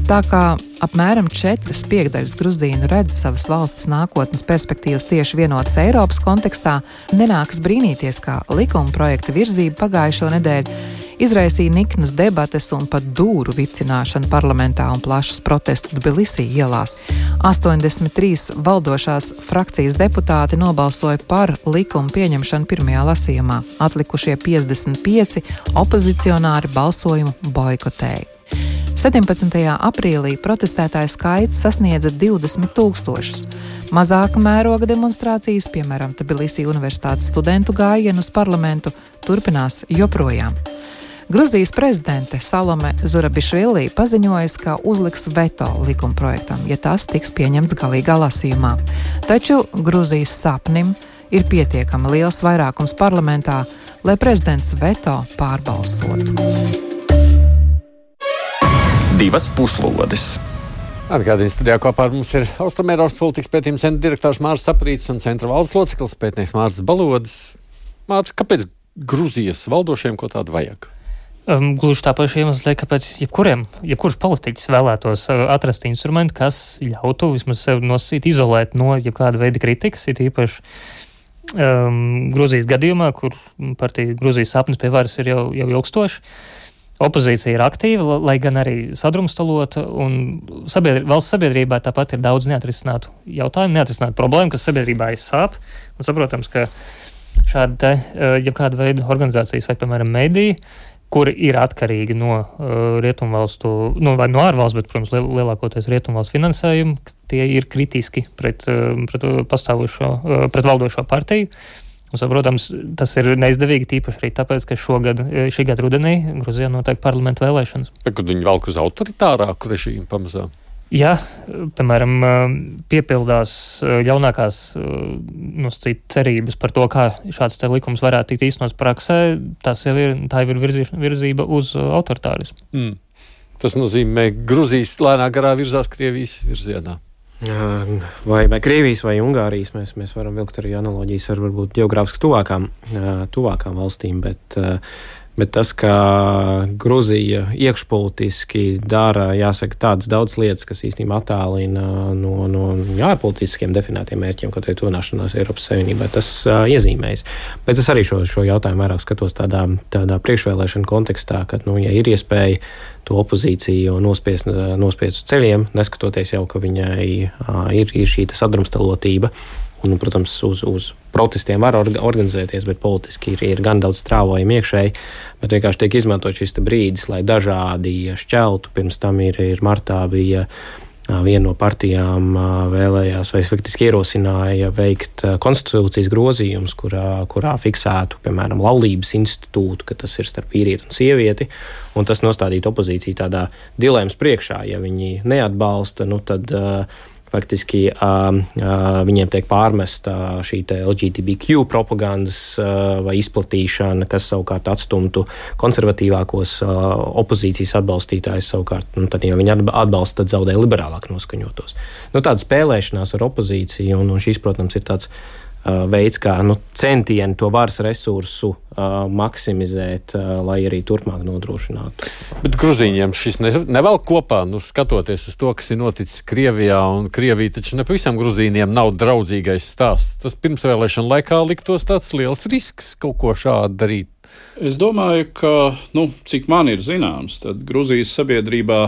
Tā kā apmēram četras piekdaļas gruzīnu redz savas valsts nākotnes perspektīvas tieši vienotas Eiropas kontekstā, nenākas brīnīties, kā likuma projekta virzība pagājušo nedēļu izraisīja niknas debates un pat dūru vicināšanu parlamentā un plašus protestu Tbilisī ielās. astoņdesmit trīs valdošās frakcijas deputāti nobalsoja par likumu pieņemšanu pirmajā lasījumā. Atlikušie piecdesmit pieci opozicionāri balsojumu boikotēja. septiņpadsmitajā aprīlī protestētāju skaits sasniedza divdesmit tūkstošus. Mazāka mēroga demonstrācijas, piemēram, Tbilisī universitātes studentu gājienu uz parlamentu, turpinās joprojām. Gruzijas prezidente Salome Zurabišvili paziņojas, ka uzliks veto likuma projektam, ja tas tiks pieņemts galīgā lasījumā. Taču Gruzijas sapnim ir pietiekami liels vairākums parlamentā, lai prezidents veto pārbalsotu. Divas puslodes. Atgādījums studijā kopā ar mums ir Austrumēropas politikas pētījuma centra direktors Mārcis Saprītis un centra valdes loceklis pētnieks Mārcis Balodis. Mārcis, kāpēc Gruzijas valdošiem ko tādu vajag? Um, gluži tā paša iemesla, kāpēc jebkuriem, jebkurš politiķis vēlētos uh, atrast instrumentu, kas ļautu vismaz sevi nosacīt, izolēt no jebkāda veida kritikas, ir īpaši um, Gruzijas gadījumā, kur partija Gruzijas sapnis pie varas ir jau, jau ilgstoši. Opozīcija ir aktīva, lai gan arī sadrumstalota, un sabiedri, valsts sabiedrībā tāpat ir daudz neatrisinātu jautājumu, neatrisinātu problēmu, kas sabiedrībā aizsāp. Un saprotams, ka šāda te, jebkāda veida organizācijas vai, piemēram, mediji, kuri ir atkarīgi no uh, rietumvalstu, nu, vai no ārvalsts, bet, protams, liel, lielākoties rietumvalstu finansējumu, tie ir kritiski pret, uh, pret pastāvošo, uh, pret valdošo partiju. Un, saprotams, tas ir neizdevīgi tīpaši arī tāpēc, ka šogad, šī gada rudenī Gruzijā notiek parlamentu vēlēšanas. Bet, kad viņi valk uz autoritārāku režīmu pamazām? Ja, piemēram, piepildās ļaunākās nosacīt cerības par to, kā šāds te likums varētu tikt īstenots praksē, tas jau ir, tā jau ir virzība uz autoritārismu. Mm. Tas nozīmē, Gruzijas lēnā garā virzās Krievijas virzienā. Vai, vai Krievijas vai Ungārijas mēs, mēs varam vilkt arī analoģijas ar varbūt ģeogrāfiski tuvākām, tuvākām valstīm, bet, bet tas, ka Gruzija iekšpolitiski dara, jāsaka, tādas daudz lietas, kas īstenībā attālina no, no ārpolitiskiem definētiem mērķiem, kaut arī tuvināšanās Eiropas Savienībai, tas uh, iezīmējas. Bet es arī šo, šo jautājumu vairāk skatos tādā, tādā priekšvēlēšana kontekstā, ka, nu, ja ir iespēja to opozīciju nospiest, nospiest uz ceļiem, neskatoties jau, ka viņai uh, ir, ir šī sadrumstalotība. Un, protams, uz, uz protestiem var organizēties, bet politiski ir, ir gan daudz strāvojumi iekšēji, bet vienkārši tiek izmantot šis brīdis, lai dažādi šķeltu. Pirms tam ir, ir martā bija viena no partijām vēlējās vai faktiski ierosināja veikt konstitūcijas grozījumus, kurā, kurā fiksētu, piemēram, laulības institūtu, ka tas ir starp vīrieti un sievieti, un tas nostādītu opozīciju tādā dilēmas priekšā. Ja viņi neatbalsta, nu tad faktiski uh, uh, viņiem tiek pārmesta šī L G B T Q propagandas uh, vai izplatīšana, kas savukārt atstumtu konservatīvākos uh, opozīcijas atbalstītājus savukārt. Nu, tad, ja viņi atbalsta, tad zaudē liberālāk noskaņotos. Nu, tāda spēlēšanās ar opozīciju, un, un šis, protams, ir tāds uh, veids, kā nu, centieni to varas resursu uh, maksimizēt, uh, lai arī turpmāk nodrošinātu. Bet Gruzīņiem šis ne, nevēl kopā, nu, skatoties uz to, kas ir noticis Krievijā, un Krievija taču ne pavisam Gruzīņiem nav draudzīgais stāsts. Tas pirmsvēlēšana laikā liktos tāds liels risks kaut ko šādu darīt. Es domāju, ka, nu, cik man ir zināms, tad Gruzijas sabiedrībā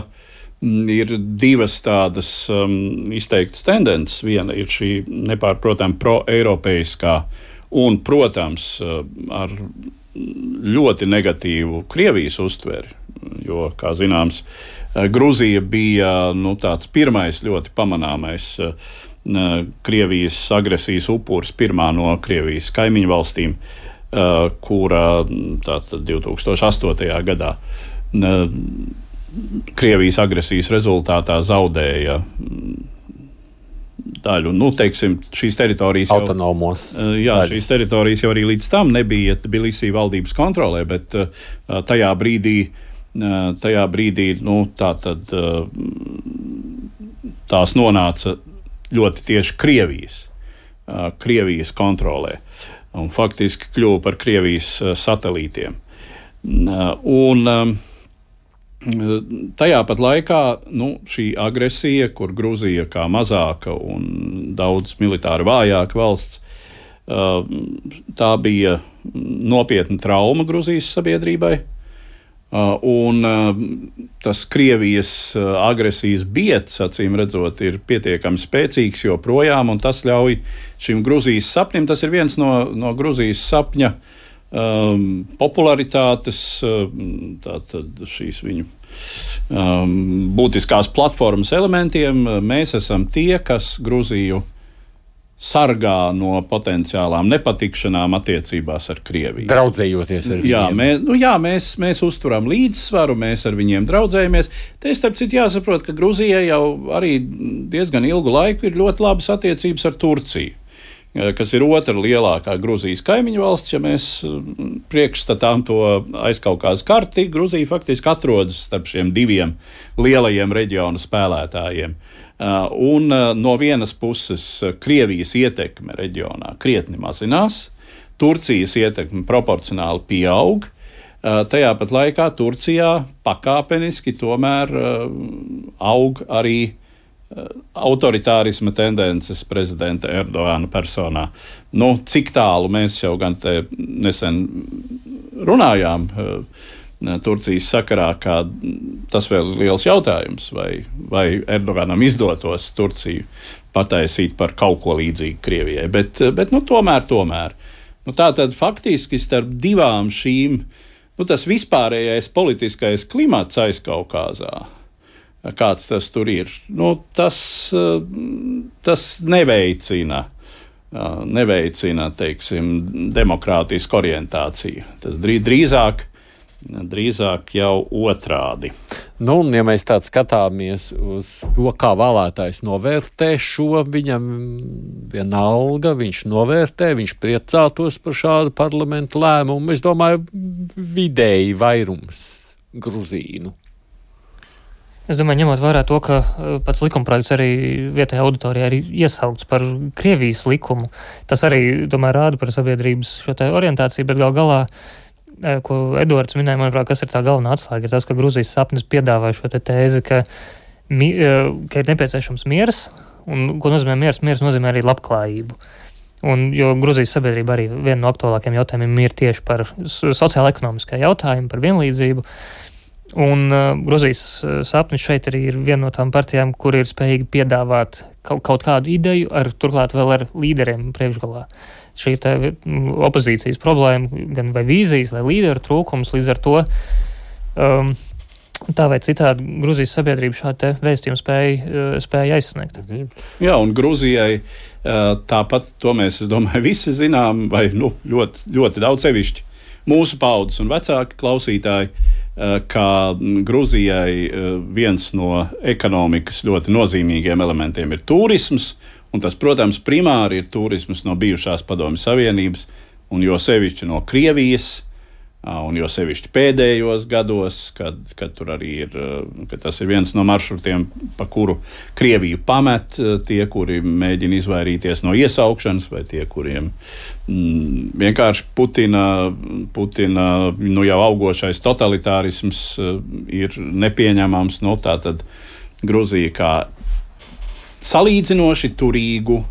ir divas tādas um, izteiktas tendences. Viena ir šī nepārprotam pro-eiropeiskā un, protams, ar ļoti negatīvu Krievijas uztveri, jo, kā zināms, Gruzija bija nu, tāds pirmais ļoti pamanāmais Krievijas agresijas upuris, pirmā no Krievijas kaimiņu valstīm, kura tātad divi tūkstoši astotajā gadā Krievijas agresijas rezultātā zaudēja daļu, nu, teiksim, šīs teritorijas jau, autonomos. Jā, daļas. Šīs teritorijas jau arī līdz tam nebija Tbilisī valdības kontrolē, bet tajā brīdī, tajā brīdī, nu, tā tad tās nonāca ļoti tieši Krievijas, Krievijas kontrolē un faktiski kļuva par Krievijas satelītiem. Un tajā pat laikā nu, šī agresija, kur Gruzija kā mazāka un daudz militāri vājāka valsts, tā bija nopietna trauma Gruzijas sabiedrībai. Un tas Krievijas agresijas biets, acīm redzot, ir pietiekami spēcīgs joprojām, un tas ļauj šim Gruzijas sapnim. Tas ir viens no, no Gruzijas sapņa Um, popularitātes, um, tātad šīs viņu um, būtiskās platformas elementiem. Mēs esam tie, kas Gruziju sargā no potenciālām nepatikšanām attiecībās ar Krieviju. Draudzējoties ar viņiem. Jā, mē, nu jā mēs, mēs uzturam līdzsvaru, mēs ar viņiem draudzējamies. Te, starp citu, jāsaprot, ka Gruzijai jau arī diezgan ilgu laiku ir ļoti labas attiecības ar Turciju, kas ir otra lielākā Gruzijas kaimiņu valsts. Ja mēs priekšstatām to aizkaukās karti, Gruzija faktiski atrodas starp šiem diviem lielajiem reģionu spēlētājiem. Un no vienas puses Krievijas ietekme reģionā krietni mazinās, Turcijas ietekme proporcionāli pieaug, tajā pat laikā Turcijā pakāpeniski tomēr aug arī autoritārisma tendences prezidenta Erdogana personā. Nu, cik tālu mēs jau gan te nesen runājām Turcijas sakarā, kā tas vēl ir liels jautājums, vai, vai Erdoganam izdotos Turciju pataisīt par kaut ko līdzīgu Krievijai. Bet, bet nu, tomēr, tomēr. Nu, tā tad faktiski starp divām šīm, nu, tas vispārējais politiskais klimats Aizkaukāzā, kāds tas tur ir, nu, tas, tas neveicina, neveicina, teiksim, demokrātisku orientāciju. Tas drīzāk drīzāk jau otrādi. Nu, un, ja mēs tādu skatāmies uz to, kā vēlētājs novērtē šo, viņam vienalga, viņš novērtē, viņš priecātos par šādu parlamentu lēmumu. Es domāju, vidēji vairums gruzīnu. Es domāju, ņemot vērā to, ka pats likumprojekts arī vietējā auditorijā ir iesaukts par Krievijas likumu, tas arī, domāju, rāda par sabiedrības šo te orientāciju, bet gal galā, ko Eduards minēja, manuprāt, kas ir tā galvenā atslēga, ir tas, ka Gruzijas sapnis piedāvāja šo te tēzi, ka, mi, ka ir nepieciešams miers, un ko nozīmē miers? Miers nozīmē arī labklājību. Un, jo Gruzijas sabiedrība arī viena no aktuālākajiem jautājumiem ir tieši par sociāla-ekonomiskā jautājumu, par vienlīdzību. Un uh, Gruzijas sapnis šeit arī ir viena no tām partijām, kur ir spējīgi piedāvāt kaut, kaut kādu ideju, ar, turklāt vēl ar līderiem priekšgalā. Šī ir tā opozīcijas problēma, gan vai vīzijas, vai līderu trūkums, līdz ar to um, tā vai citādi Gruzijas sabiedrība šādu te vēstījumu spēja, spēja aizsniegt. Jā, un Gruzijai tāpat, to mēs, es domāju, visi zinām, vai nu, ļoti, ļoti daudz sevišķi mūsu paudzes un vecāki klausītāji, ka Gruzijai viens no ekonomikas ļoti nozīmīgiem elementiem ir turisms, un tas, protams, primāri ir turisms no bijušās Padomju Savienības, un jo sevišķi no Krievijas, un jo sevišķi pēdējos gados, kad, kad tur arī ir, kad tas ir viens no maršrutiem, pa kuru Krieviju pamet tie, kuri mēģina izvairīties no iesaukšanas, vai tie, kuriem mm, vienkārši Putina, Putina nu jau augošais totalitārisms ir nepieņemams. No tā tad Gruzija kā salīdzinoši turīgu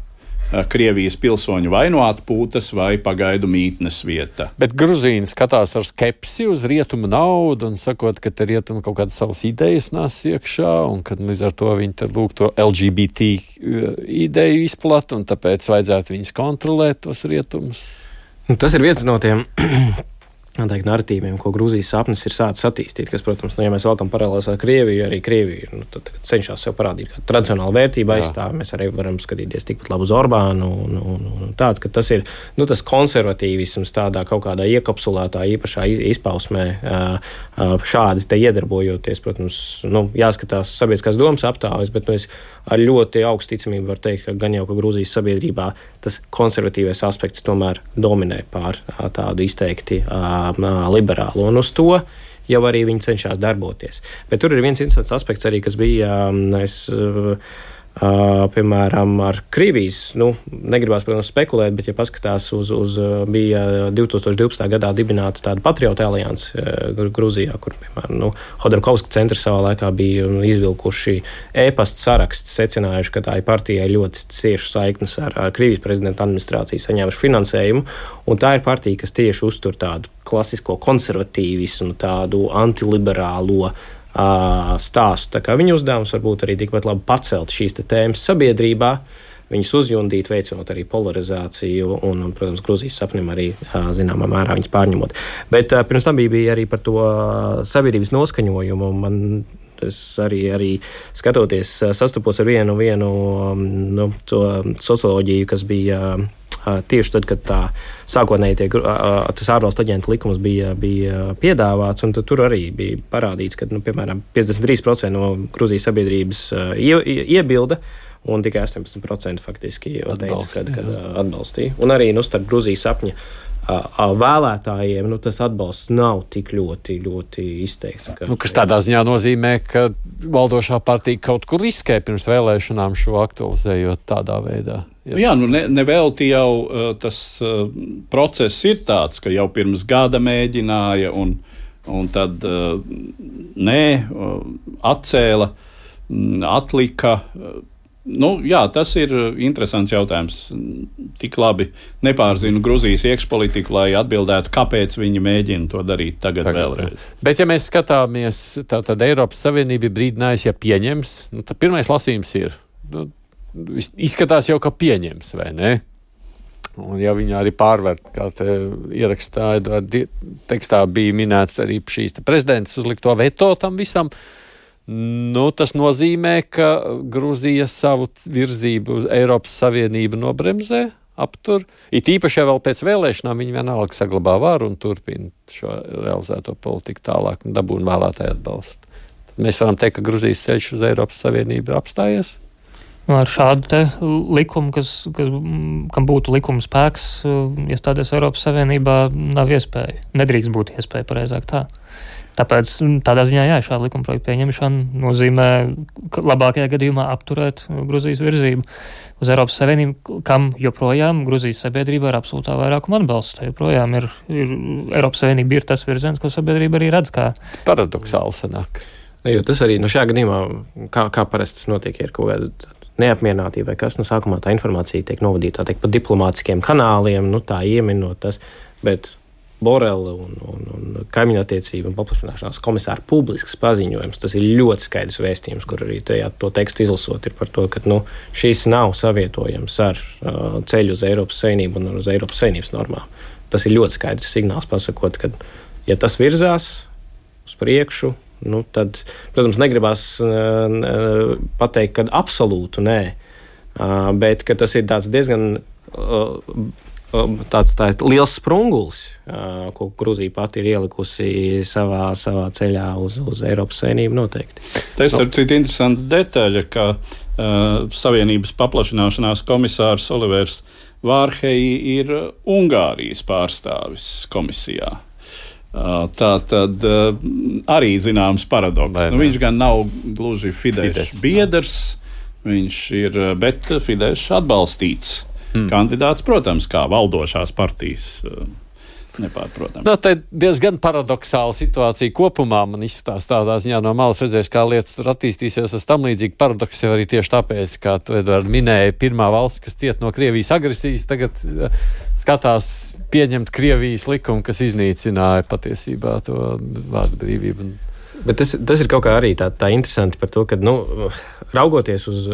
Krievijas pilsoņu vai no atpūtas vai pagaidu mītnes vieta. Bet Gruzīni skatās ar skepsi uz rietumu naudu un sakot, ka te rietumu kaut kādas savas idejas nās iekšā un kad līdz ar to viņi tad lūk to L G B T ideju izplat un tāpēc vajadzētu viņus kontrolēt tos rietumus. Tas ir viens no tiem teikt, narratīviem, ko Grūzijas sapnis ir sācis attīstīt, kas, protams, nu, ja mēs valkam paralēlās ar Krieviju, arī Krievija nu, tad, tad cenšas sev parādīt, kā tradicionāla vērtība aizstāv. Mēs arī varam skatīties tikpat labu uz Orbānu un, un, un tāds, ka tas ir nu, tas konservatīvisms tādā kaut kādā iekapsulētā īpašā izpausmē šādi te iedarbojoties, protams, nu, jāskatās sabiedriskās domas aptāves, bet nu, es ar ļoti augstu ticamību varu teikt, ka gan jau, ka Grūzijas sabiedrībā tas konservatīvais aspekts tomēr dominē pār tādu izteikti liberālu, un uz to jau arī viņi cenšas darboties. Bet tur ir viens interesants aspekts arī, kas bija, es, piemēram, ar Krievijas, nu, negribās, protams, spekulēt, bet, ja paskatās uz, uz bija divi tūkstoši divpadsmitā gadā dibināta tāda patriotu alianse Gruzijā, kur, piemēram, nu, Hodorkovska centrs savā laikā bija izvilkuši e-pasta saraksts, secinājuši, ka tā ir partijai ļoti cieši saiknes ar, ar Krievijas prezidenta administrāciju, saņēmuši finansējumu, un tā ir partija, kas tieši uztur tādu klasisko konservatīvismu, tādu antiliberālo stāstu. Tā kā viņa uzdevums varbūt arī tikpat labi pacelt šīs tēmas sabiedrībā, viņas uzjundīt, veicinot arī polarizāciju un, un protams, Grūzijas sapnim arī zināmā mērā viņas pārņemot. Bet pirms tam bija, bija arī par to sabiedrības noskaņojumu. Man es arī, arī skatoties, sastapos ar vienu, vienu nu, to socioloģiju, kas bija tieši tad, kad tā sākotnēji tie, tas ārvalstu aģentu likums bija, bija piedāvāts, un tur arī bija parādīts, ka, nu, piemēram, piecdesmit trīs procenti no Grūzijas sabiedrības ie, iebilda, un tikai astoņpadsmit procenti faktiski teica, kad, kad atbalstīja. Un arī nu, starp Grūzijas sapņa vēlētājiem nu, tas atbalsts nav tik ļoti, ļoti izteikts. Ka, nu, kas tādā ziņā nozīmē, ka valdošā partija kaut kur riskē pirms vēlēšanām šo aktualizējot tādā veidā. Ja. Jā, nu ne, nevelti jau uh, tas uh, process ir tāds, ka jau pirms gada mēģināja un, un tad uh, nē, uh, atcēla, mm, atlika. Uh, nu, jā, tas ir interesants jautājums. Tik labi nepārzinu Gruzijas iekšpolitiku, lai atbildētu, kāpēc viņi mēģina to darīt tagad, tagad vēlreiz. Bet ja mēs skatāmies, tā tad Eiropas Savienība brīdinājusi, ja pieņems, nu, tad pirmais lasījums ir. Nu, izskatās jau, ka pieņems, vai ne? Un ja viņi arī pārvērt, kā te ierakstā, tekstā bija minēts arī šīs prezidents uzlikto veto tam visam, nu, tas nozīmē, ka Gruzija savu virzību uz Eiropas Savienību nobremzē aptur. It īpaši jau vēl pēc vēlēšanām viņi vienalga saglabā varu un turpina šo realizēto politiku tālāk un dabūna vēlētāju atbalstu. Tad mēs varam teikt, ka Gruzijas ceļš uz Eiropas Savienību ir apstājies. Ar šādu te likumu, kas, kas, kam būtu likuma spēks, iestāties Eiropas Savienībā, nav iespēja. Nedrīkst būt iespēja, pareizāk tā. Tāpēc tādā ziņā, jā, šāda likuma projekta pieņemšana nozīmē labākajā gadījumā apturēt Gruzijas virzību uz Eiropas Savienību, kam joprojām Gruzijas sabiedrība ir absolūtā vairākuma atbalsts. Joprojām ir, ir Eiropas Savienība ir tas virziens, ko sabiedrība arī redz kā. Paradoxāli sanāk. Jo tas arī, nu šajā gadījumā, kā, kā parasti tas notiek, ir kaut kāda neapmierinātība vai kas, nu sākumā tā informācija tiek novadīta, tā teikt, pa diplomātiskiem kanāliem, nu tā ieminot tas, bet Borela un, un, un kaimiņu attiecību un paplašināšanās komisāra publisks paziņojums, tas ir ļoti skaidrs vēstījums, kur arī tajā to tekstu izlasot ir par to, ka nu, šis nav savietojams ar uh, ceļu uz Eiropas Savienību un uz Eiropas Savienības normām. Tas ir ļoti skaidrs signāls pasakot, ka ja tas virzās uz priekšu, nu, tad, protams, negribās uh, pateikt, ka absolūtu nē, uh, bet ka tas ir tāds diezgan uh, tāds, tāds liels sprungulis, uh, ko Gruzija pati ir ielikusi savā, savā ceļā uz, uz Eiropas Savienību noteikti. Tā ir starp citu interesanta detaļa, ka uh, Savienības paplašināšanās komisārs Olivers Vārheji ir Ungārijas pārstāvis komisijā. Uh, tā tad uh, arī zināms paradoks. Nu, viņš gan nav gluži Fidesz biedrs, viņš ir, bet Fidesz atbalstīts. Hmm. Kandidāts, protams, kā valdošās partijas, nepārprotams. No, tā ir diezgan paradoxāla situācija kopumā. Man izstāsta tādā ziņā no malas redzēs, kā lietas tur attīstīsies uz tam līdzīgi paradoks jau arī tieši tāpēc, kā tu, Edvard, minēja, pirmā valsts, kas ciet no Krievijas agresijas, tagad skatās pieņemt Krievijas likumu, kas iznīcināja patiesībā to vārdu brīvību. Bet tas, tas ir kaut kā arī tā, tā interesanti par to, ka, nu, raugoties uz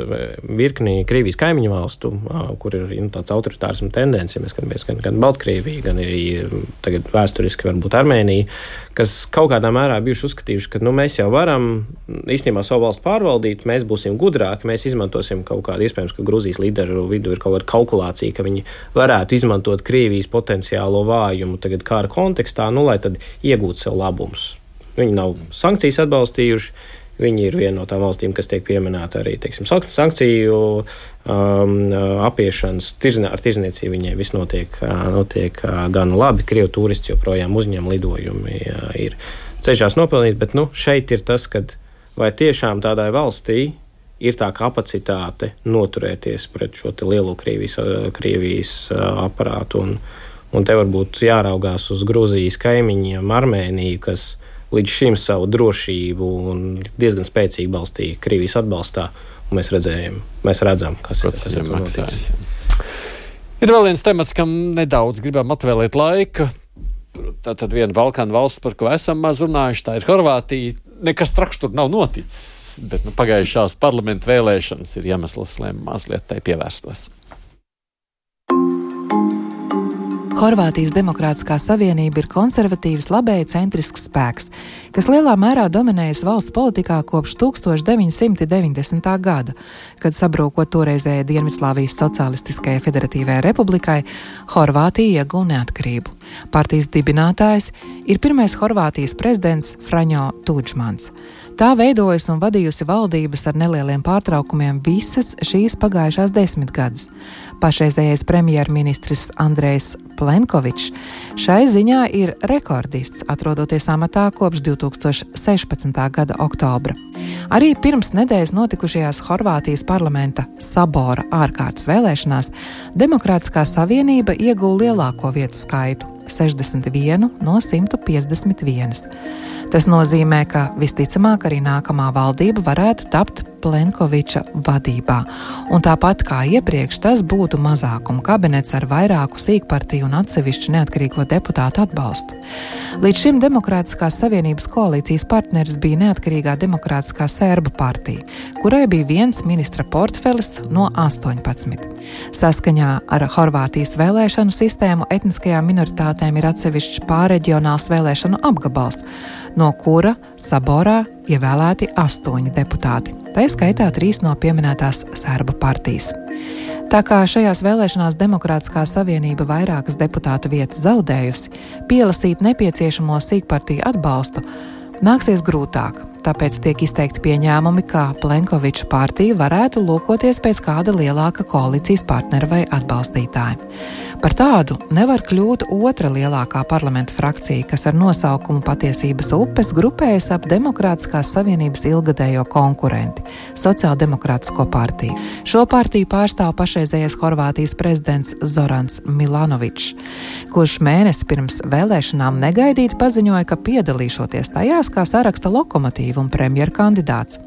virkni Krievijas kaimiņu valstu, kur ir nu, tāds autoritārismu tendence, ja mēs skatāmies gan, gan Baltkrievija, gan arī tagad vēsturiski varbūt Armēnija, kas kaut kādā mērā bijuši uzskatījuši, ka nu, mēs jau varam īstenībā savu valstu pārvaldīt, mēs būsim gudrāki, mēs izmantosim kaut kādu, iespējams, ka Gruzijas līderu vidū ir kaut kāda kalkulācija, ka viņi varētu izmantot Krievijas potenciālo vājumu tagad kara kontekstā, nu, lai tad iegūtu sev labumus. Viņi nav sankcijas atbalstījuši. Viņi ir viena no tām valstīm, kas tiek pieminēta arī teiksim, sankciju um, apiešanas. Tirznie, ar tirzniecību viņai viss notiek, notiek gan labi. Krievu turisti joprojām uzņem lidojumi, ir ceļšās nopelnīt. Bet nu, šeit ir tas, kad vai tiešām tādai valstī ir tā kapacitāte noturēties pret šo lielo Krievijas, Krievijas aparātu. Un, un te varbūt jāraugās uz Gruzijas kaimiņiem, Armēniju, kas līdz šim savu drošību un diezgan spēcīgi balstīja Krievijas atbalstā, un mēs redzējām, mēs redzam, kas, kas ir noticis. Ir vēl viens temats, kam nedaudz gribam atvēlēt laika. Tātad viena Balkānu valsts, par ko esam maz runājuši, tā ir Horvātija. Nekas traks tur nav noticis, bet nu, pagājušās parlamentu vēlēšanas ir iemesls, lai mazliet tai pievērstos. Horvātijas Demokrātiskā savienība ir konservatīvs, labēji centrisks spēks, kas lielā mērā dominējas valsts politikā kopš tūkstoš deviņi simti deviņdesmitā gada, kad sabrūkot toreizējai Dienvidslāvijas Socialistiskajai Federatīvajai Republikai, Horvātija ieguva neatkarību. Partijas dibinātājs ir pirmais Horvātijas prezidents Franjo Tudžmans. Tā veidojas un vadījusi valdības ar nelieliem pārtraukumiem visas šīs pagājušās desmitgades. Pašreizējais premjerministrs Andrejs Plenkovičs šai ziņā ir rekordists, atrodoties amatā kopš divi tūkstoši sešpadsmitā gada oktobra. Arī pirms nedēļas notikušajās Horvātijas parlamenta Sabora ārkārtas vēlēšanās Demokrātiskā savienība ieguva lielāko vietu skaitu – sešdesmit vienu no simta piecdesmit vienas. Tas nozīmē, ka visticamāk arī nākamā valdība varētu tapt Plenkoviča vadībā. Un tāpat kā iepriekš, tas būtu mazākuma kabinets ar vairāku sīkpartiju un atsevišķu neatkarīgo deputātu atbalstu. Līdz šim Demokrātiskās savienības koalīcijas partneris bija neatkarīgā Demokrātiskā Serbu partija, kurai bija viens ministra portfelis no astoņpadsmit. Saskaņā ar Horvātijas vēlēšanu sistēmu etniskajām minoritātēm ir atsevišķs pārreģionāls vēlēšanu apgabals, no kura Saborā ievēlēti astoņi deputāti. Tā skaitā trīs no pieminētās Serbu partijas. Tā kā šajās vēlēšanās Demokrātiskā savienība vairākas deputāta vietas zaudējusi, pielasīt nepieciešamo sīkpartiju atbalstu nāksies grūtāk. Tāpēc tiek izteikti pieņēmumi, ka Plenkoviča partija varētu lūkoties pēc kāda lielāka koalīcijas partnera vai atbalstītāja. Par tādu nevar kļūt otra lielākā parlamenta frakcija, kas ar nosaukumu Patiesības upes grupējas ap Demokrātiskās savienības ilgadējo konkurenti – Sociāldemokrātisko partiju. Šo partiju pārstāv pašreizējais Horvātijas prezidents Zorans Milanovičs, kurš mēnesi pirms vēlēšanām negaidīti paziņoja, ka piedalīšoties tajās kā saraksta lokomotīva un premjerkandidāts.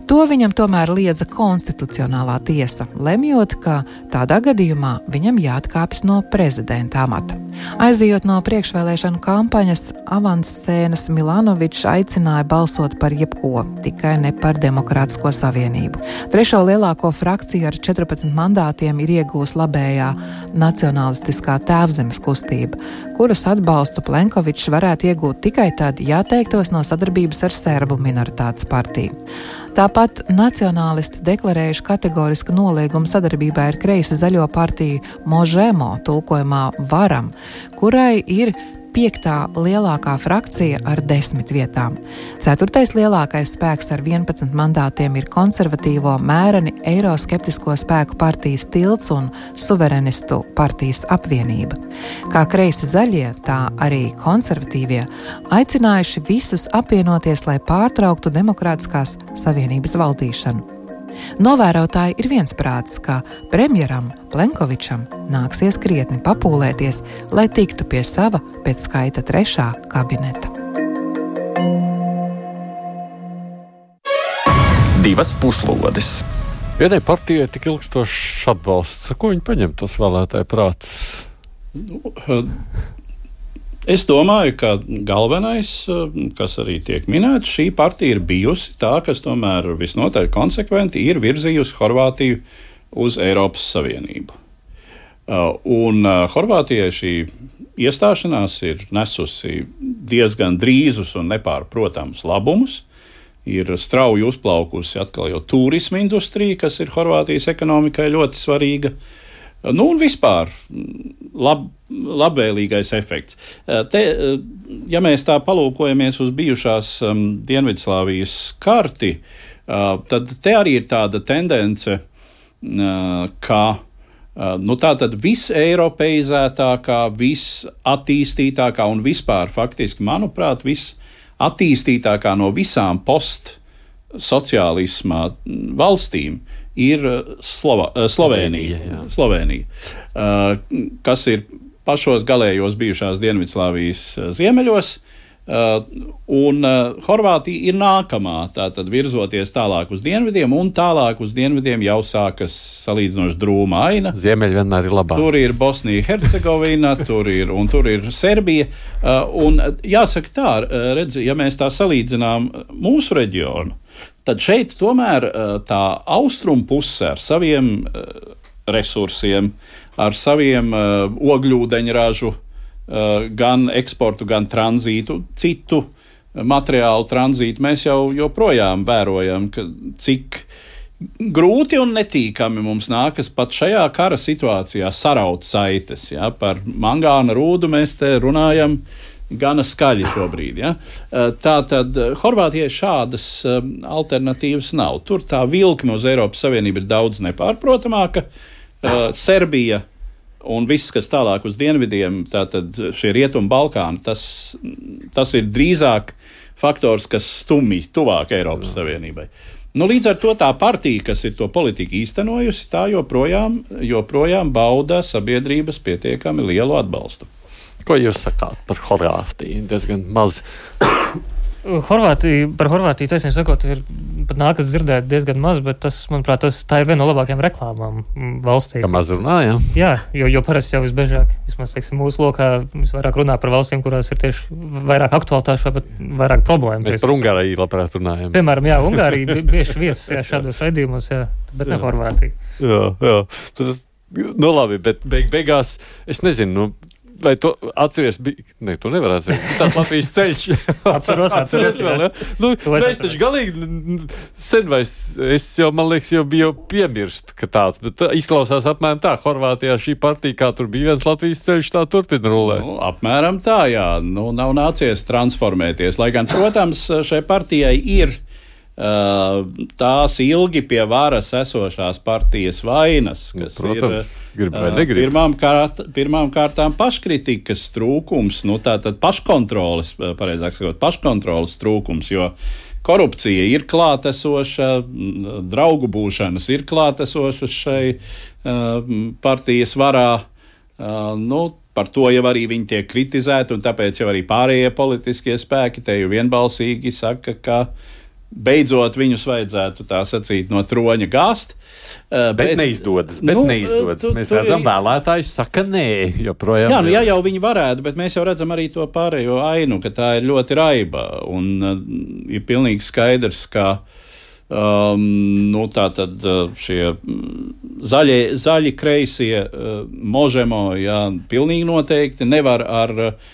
To viņam tomēr liedza konstitucionālā tiesa, lemjot, ka tādā gadījumā viņam jāatkāpjas no prezidenta amata. Aizejot no priekšvēlēšanu kampaņas avanscēnas, Milanovičs aicināja balsot par jebko, tikai ne par Demokrātisko savienību. Trešo lielāko frakciju ar četrpadsmit mandātiem ir iegūs labējā nacionalistiskā tēvzemes kustība, kuras atbalstu Plenkovičs varētu iegūt tikai tad, ja atteiktos no sadarbības ar serbu minoritātes partiju. Tāpat nacionālisti deklarējuši kategorisku noliegumu sadarbībā ar kreisi zaļo partiju Možemo, tulkojumā Varam, kurai ir piektā lielākā frakcija ar desmit vietām. Ceturtais lielākais spēks ar vienpadsmit mandātiem ir konservatīvo mēreni eiroskeptisko spēku partijas Tilts un suverenistu partijas apvienība. Kā kreisi zaļie, tā arī konservatīvie aicinājuši visus apvienoties, lai pārtrauktu Demokrātiskās savienības valdīšanu. Novērotāji ir viensprātis, ka premjeram Plenkovičam nāksies krietni papūlēties, lai tiktu pie sava pēc skaita trešā kabineta. Divas puslodes. Vienai partijai tik ilgstošs atbalsts. Ko viņi paņem tos vēlētāju prātus? Nu, es domāju, ka galvenais, kas arī tiek minēts, šī partija ir bijusi tā, kas tomēr visnotaļ konsekventi ir virzījusi Horvātiju uz Eiropas Savienību. Un Horvātijai šī iestāšanās ir nesusi diezgan drīzus un nepārprotams labumus. Ir strauji uzplaukusi atkal jau turisma industrija, kas ir Horvātijas ekonomikai ļoti svarīga. Nu, un vispār lab, labvēlīgais efekts. Te, ja mēs tā palūkojamies uz bijušās um, Dienvidslāvijas karti, uh, tad te arī ir tāda tendence, uh, ka uh, nu, tā tad viseiropeizētākā, visattīstītākā un vispār faktiski, manuprāt, visattīstītākā no visām postsociālismā valstīm ir Slova, Slovēnija, Slovēnija, kas ir pašos galējos bijušās Dienvidslāvijas ziemeļos, un Horvātija ir nākamā, tātad virzoties tālāk uz dienvidiem, un tālāk uz dienvidiem jau sākas salīdzinoši drūma aina. Ziemeļi vienmēr ir labāk. Tur ir Bosnija, Hercegovina, tur ir, un tur ir Serbija, un jāsaka tā, redz, ja mēs tā salīdzinām mūsu reģionu, tad šeit tomēr tā austrumu puse ar saviem resursiem, ar saviem ogļūdeņražu, gan eksportu, gan tranzītu, citu materiālu tranzītu, mēs jau joprojām vērojam, ka cik grūti un netīkami mums nākas pat šajā kara situācijā saraut saites. Ja? Par mangāna rūdu mēs te runājam gana skaļi šobrīd. Ja? Tā tad Horvātijai šādas alternatīvas nav. Tur tā vilkme uz Eiropas Savienību ir daudz nepārprotamāka. Serbija un viss, kas tālāk uz dienvidiem, tātad šie Rietumu Balkāni, tas, tas ir drīzāk faktors, kas stumj tuvāk Eiropas Savienībai. Nu, līdz ar to tā partija, kas ir to politiku īstenojusi, tā joprojām, joprojām bauda sabiedrības pietiekami lielu atbalstu. Ko jūs sakāt par Horvātiju? Diezgan maz. Horvātija, par Horvātiju, taisnība sakot, ir pat nākas dzirdēt diezgan maz, bet tas, manuprāt, tas, tā ir viena no labākajām reklāmām valstī. Kā maz runā, jā? Jā, jo, jo parasti jau visbiežāk, vismaz, teiksim, mūsu lokā visvairāk runā par valstīm, kurās ir tieši vairāk aktualitāšu vai pat vairāk problēmu. Mēs par Ungāriju labprāt runājam. Piemēram, jā, Ungārija bieži vietas jā, šādos raidījumos, jā, bet jā. Ne Horvātija. Jā, jā. Tad, nu labi, bet beig, beigās, es nezinu, nu, vai tu atceries, bija, ne, tu nevar atceries, tāds Latvijas ceļš. Atceros, atceros, vēl, ja? Nu, mēs taču galīgi sen vai es jau, man liekas, jau biju piemirst, ka tāds, bet izklausās apmēram tā, Horvātijā šī partija, kā tur bija viens Latvijas ceļš, tā turpina rulēt. Nu, apmēram tā, jā, nu, nav nācies transformēties, lai gan, protams, šai partijai ir Uh, tās ilgi pie varas esošās partijas vainas, kas Protams, ir grib vai negrib. uh, pirmām, kārt, pirmām kārtām paškritikas trūkums, nu tātad paškontroles, pareizāk sakot, paškontroles trūkums, jo korupcija ir klātesoša, draugu būšanas ir klātesošas šai uh, partijas varā, uh, nu, par to jau arī viņi tiek kritizēti, un tāpēc jau arī pārējie politiskie spēki te jau vienbalsīgi saka, ka beidzot viņus vajadzētu tā sacīt no troņa gāzt. Uh, bet, bet neizdodas, bet nu, neizdodas. Tu, mēs tu, redzam, vēlētājs saka nē, joprojām. Jā, nu, ja jau viņi varētu, bet mēs jau redzam arī to pārējo ainu, ka tā ir ļoti raiba, un uh, ir pilnīgi skaidrs, ka Um, nu, tā tad šie zaļie, zaļi kreisie uh, Možemo, jā, pilnīgi noteikti nevar ar uh,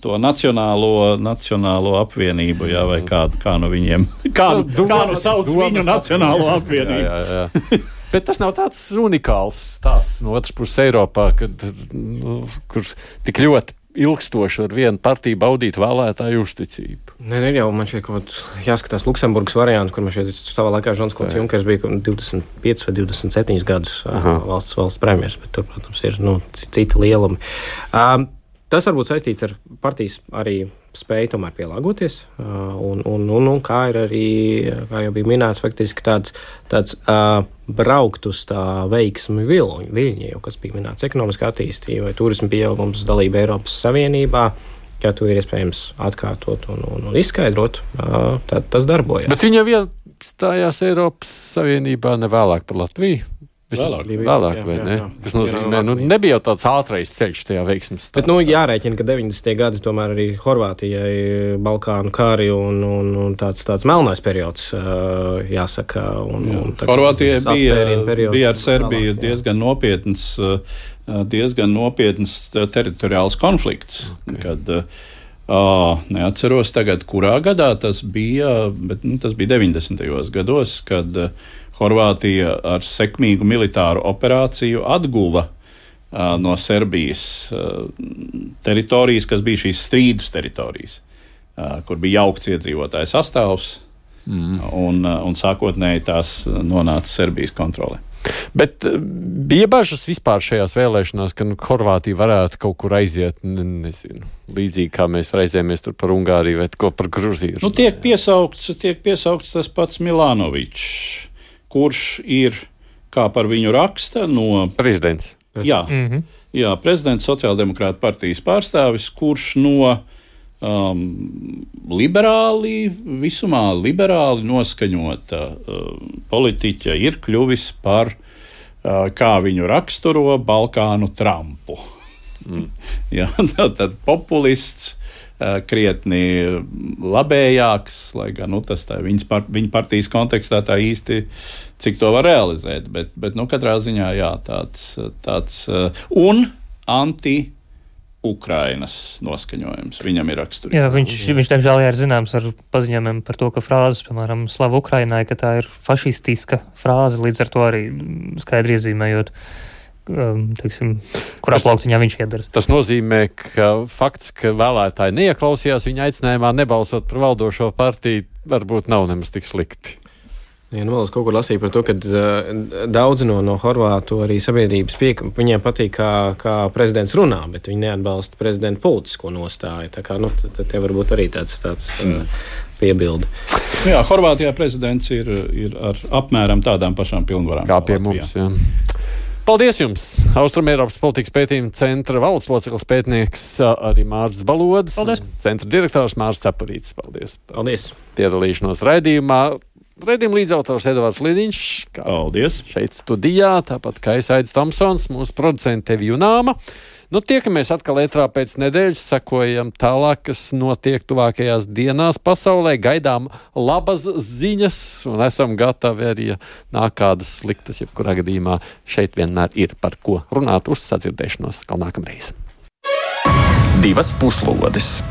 to nacionālo, nacionālo apvienību, jā, vai kā, kā nu viņiem, kā nu, kā nu sauc viņu nacionālo apvienību. Jā, jā, jā. Bet tas nav tāds unikāls stāsts no otras puses Eiropā, kad, nu, kur tik ļoti ilgstoši ar vienu partiju baudīt vēlētāju uzticību. Nē, ne, jau man šeit kaut jāskatās Luksemburgas variantu, kur man šeit savā laikā Žons Klods Junkers bija divdesmit piecus vai divdesmit septiņus gadus Aha. valsts, valsts premjers, bet tur, protams, ir nu, citi lielumi. Um, tas varbūt saistīts ar partijas arī spēju tomēr pielāgoties, uh, un, un, un, un kā ir arī, kā jau bija minēts, faktiski tāds, tāds uh, braukt uz tā veiksmi viļņi, viļņi, jau kas bija minēts ekonomiskā attīstība vai turisma pieaugums, dalība Eiropas Savienībā, ja to ir iespējams atkārtot un, un, un izskaidrot, uh, tad tas darbojas. Bet viņa vien stājās Eiropas Savienībā nevēlāk par Latviju? Vēlāk, vēlāk jā, vai jā, ne? Jā. Tas nozīmē, nu, nebija jau tāds ātrais ceļš tajā veiksmes stāstā. Bet, nu, jārēķina, ka deviņdesmitie gadi tomēr arī Horvātijai Balkānu kari un, un, un tāds, tāds melnais periods, jāsaka. Un, jā. un Horvātijai bija, bija ar Serbiju vēlāk, diezgan nopietns, diezgan nopietns teritoriāls konflikts, okay. kad uh, neatceros tagad, kurā gadā tas bija, bet nu, tas bija deviņdesmitajos gados, kad uh, Horvātija ar sekmīgu militāru operāciju atguva uh, no Serbijas uh, teritorijas, kas bija šīs strīdus teritorijas, uh, kur bija jaukts iedzīvotāju sastāvs, mm. un, uh, un sākotnēji tās nonāca Serbijas kontrolē. Bet bija bažas vispār šajās vēlēšanās, ka nu, Horvātija varētu kaut kur aiziet, ne, nezinu, līdzīgi kā mēs reizēmies tur par Ungāriju vai ko par Gruziju. Nu, tiek piesaukts, tiek piesaukts tas pats Milanovičs, kurš ir, kā par viņu raksta, no prezidents. Jā, mm-hmm. jā, prezidents sociāldemokrāta partijas pārstāvis, kurš no um, liberāli, visumā liberāli noskaņota uh, politiķa ir kļuvis par, uh, kā viņu raksturo, Balkānu Trumpu. Mm. jā, tad populists, krietni labējāks, lai gan nu, tas tā viņas par, viņa partijas kontekstā tā īsti, cik to var realizēt, bet, bet nu, katrā ziņā jā, tāds, tāds uh, un anti Ukrainas noskaņojums viņam ir raksturīgs. Jā, viņš, viņš tiemžēl ir zināms ar paziņojumiem par to, ka frāzes, piemēram, Slava Ukrainai, ka tā ir fašistiska frāze, līdz ar to arī skaidri iezīmējot, Um, teiksim, kurā plauktiņā viņš iedaras. Tas nozīmē, ka fakts, ka vēlētāji neieklausījās viņa aicinājumā nebalsot par valdošo partiju, varbūt nav nemaz tik slikti. Ja, nu, es kaut kur lasīju par to, ka uh, daudzi no, no horvātu arī sabiedrības piek, viņiem patīk, kā, kā prezidents runā, bet viņi neatbalsta prezidenta politisko nostāju. Tā kā, nu, tad te varbūt arī tāds, tāds mm. uh, piebildi. Jā, Horvātijā prezidents ir, ir ar apmēram tādām pašām pilnvarām. Kā pie mums, jā. Paldies jums! Austrumēropas politikas pētījuma centra valsts loceklis pētnieks arī Mārcis Balodis. Paldies! Centra direktors Mārcis Cepurītis. Paldies! Paldies! Piedalīšanos raidījumā. Raidījuma līdzautors Edvards Lidiņš. Paldies! Šeit studijā, tāpat kā Aidis Tomsons, mūsu producente Tevi Junāma. Nu, tiekamies atkal ētrā pēc nedēļas, sekojam tālāk, kas notiek tuvākajās dienās pasaulē, gaidām labas ziņas un esam gatavi arī, ja nāk kādas sliktas, jebkurā gadījumā šeit vienmēr ir par ko runāt. Uz sadzirdēšanos atkal nākamreiz. divas puslodes.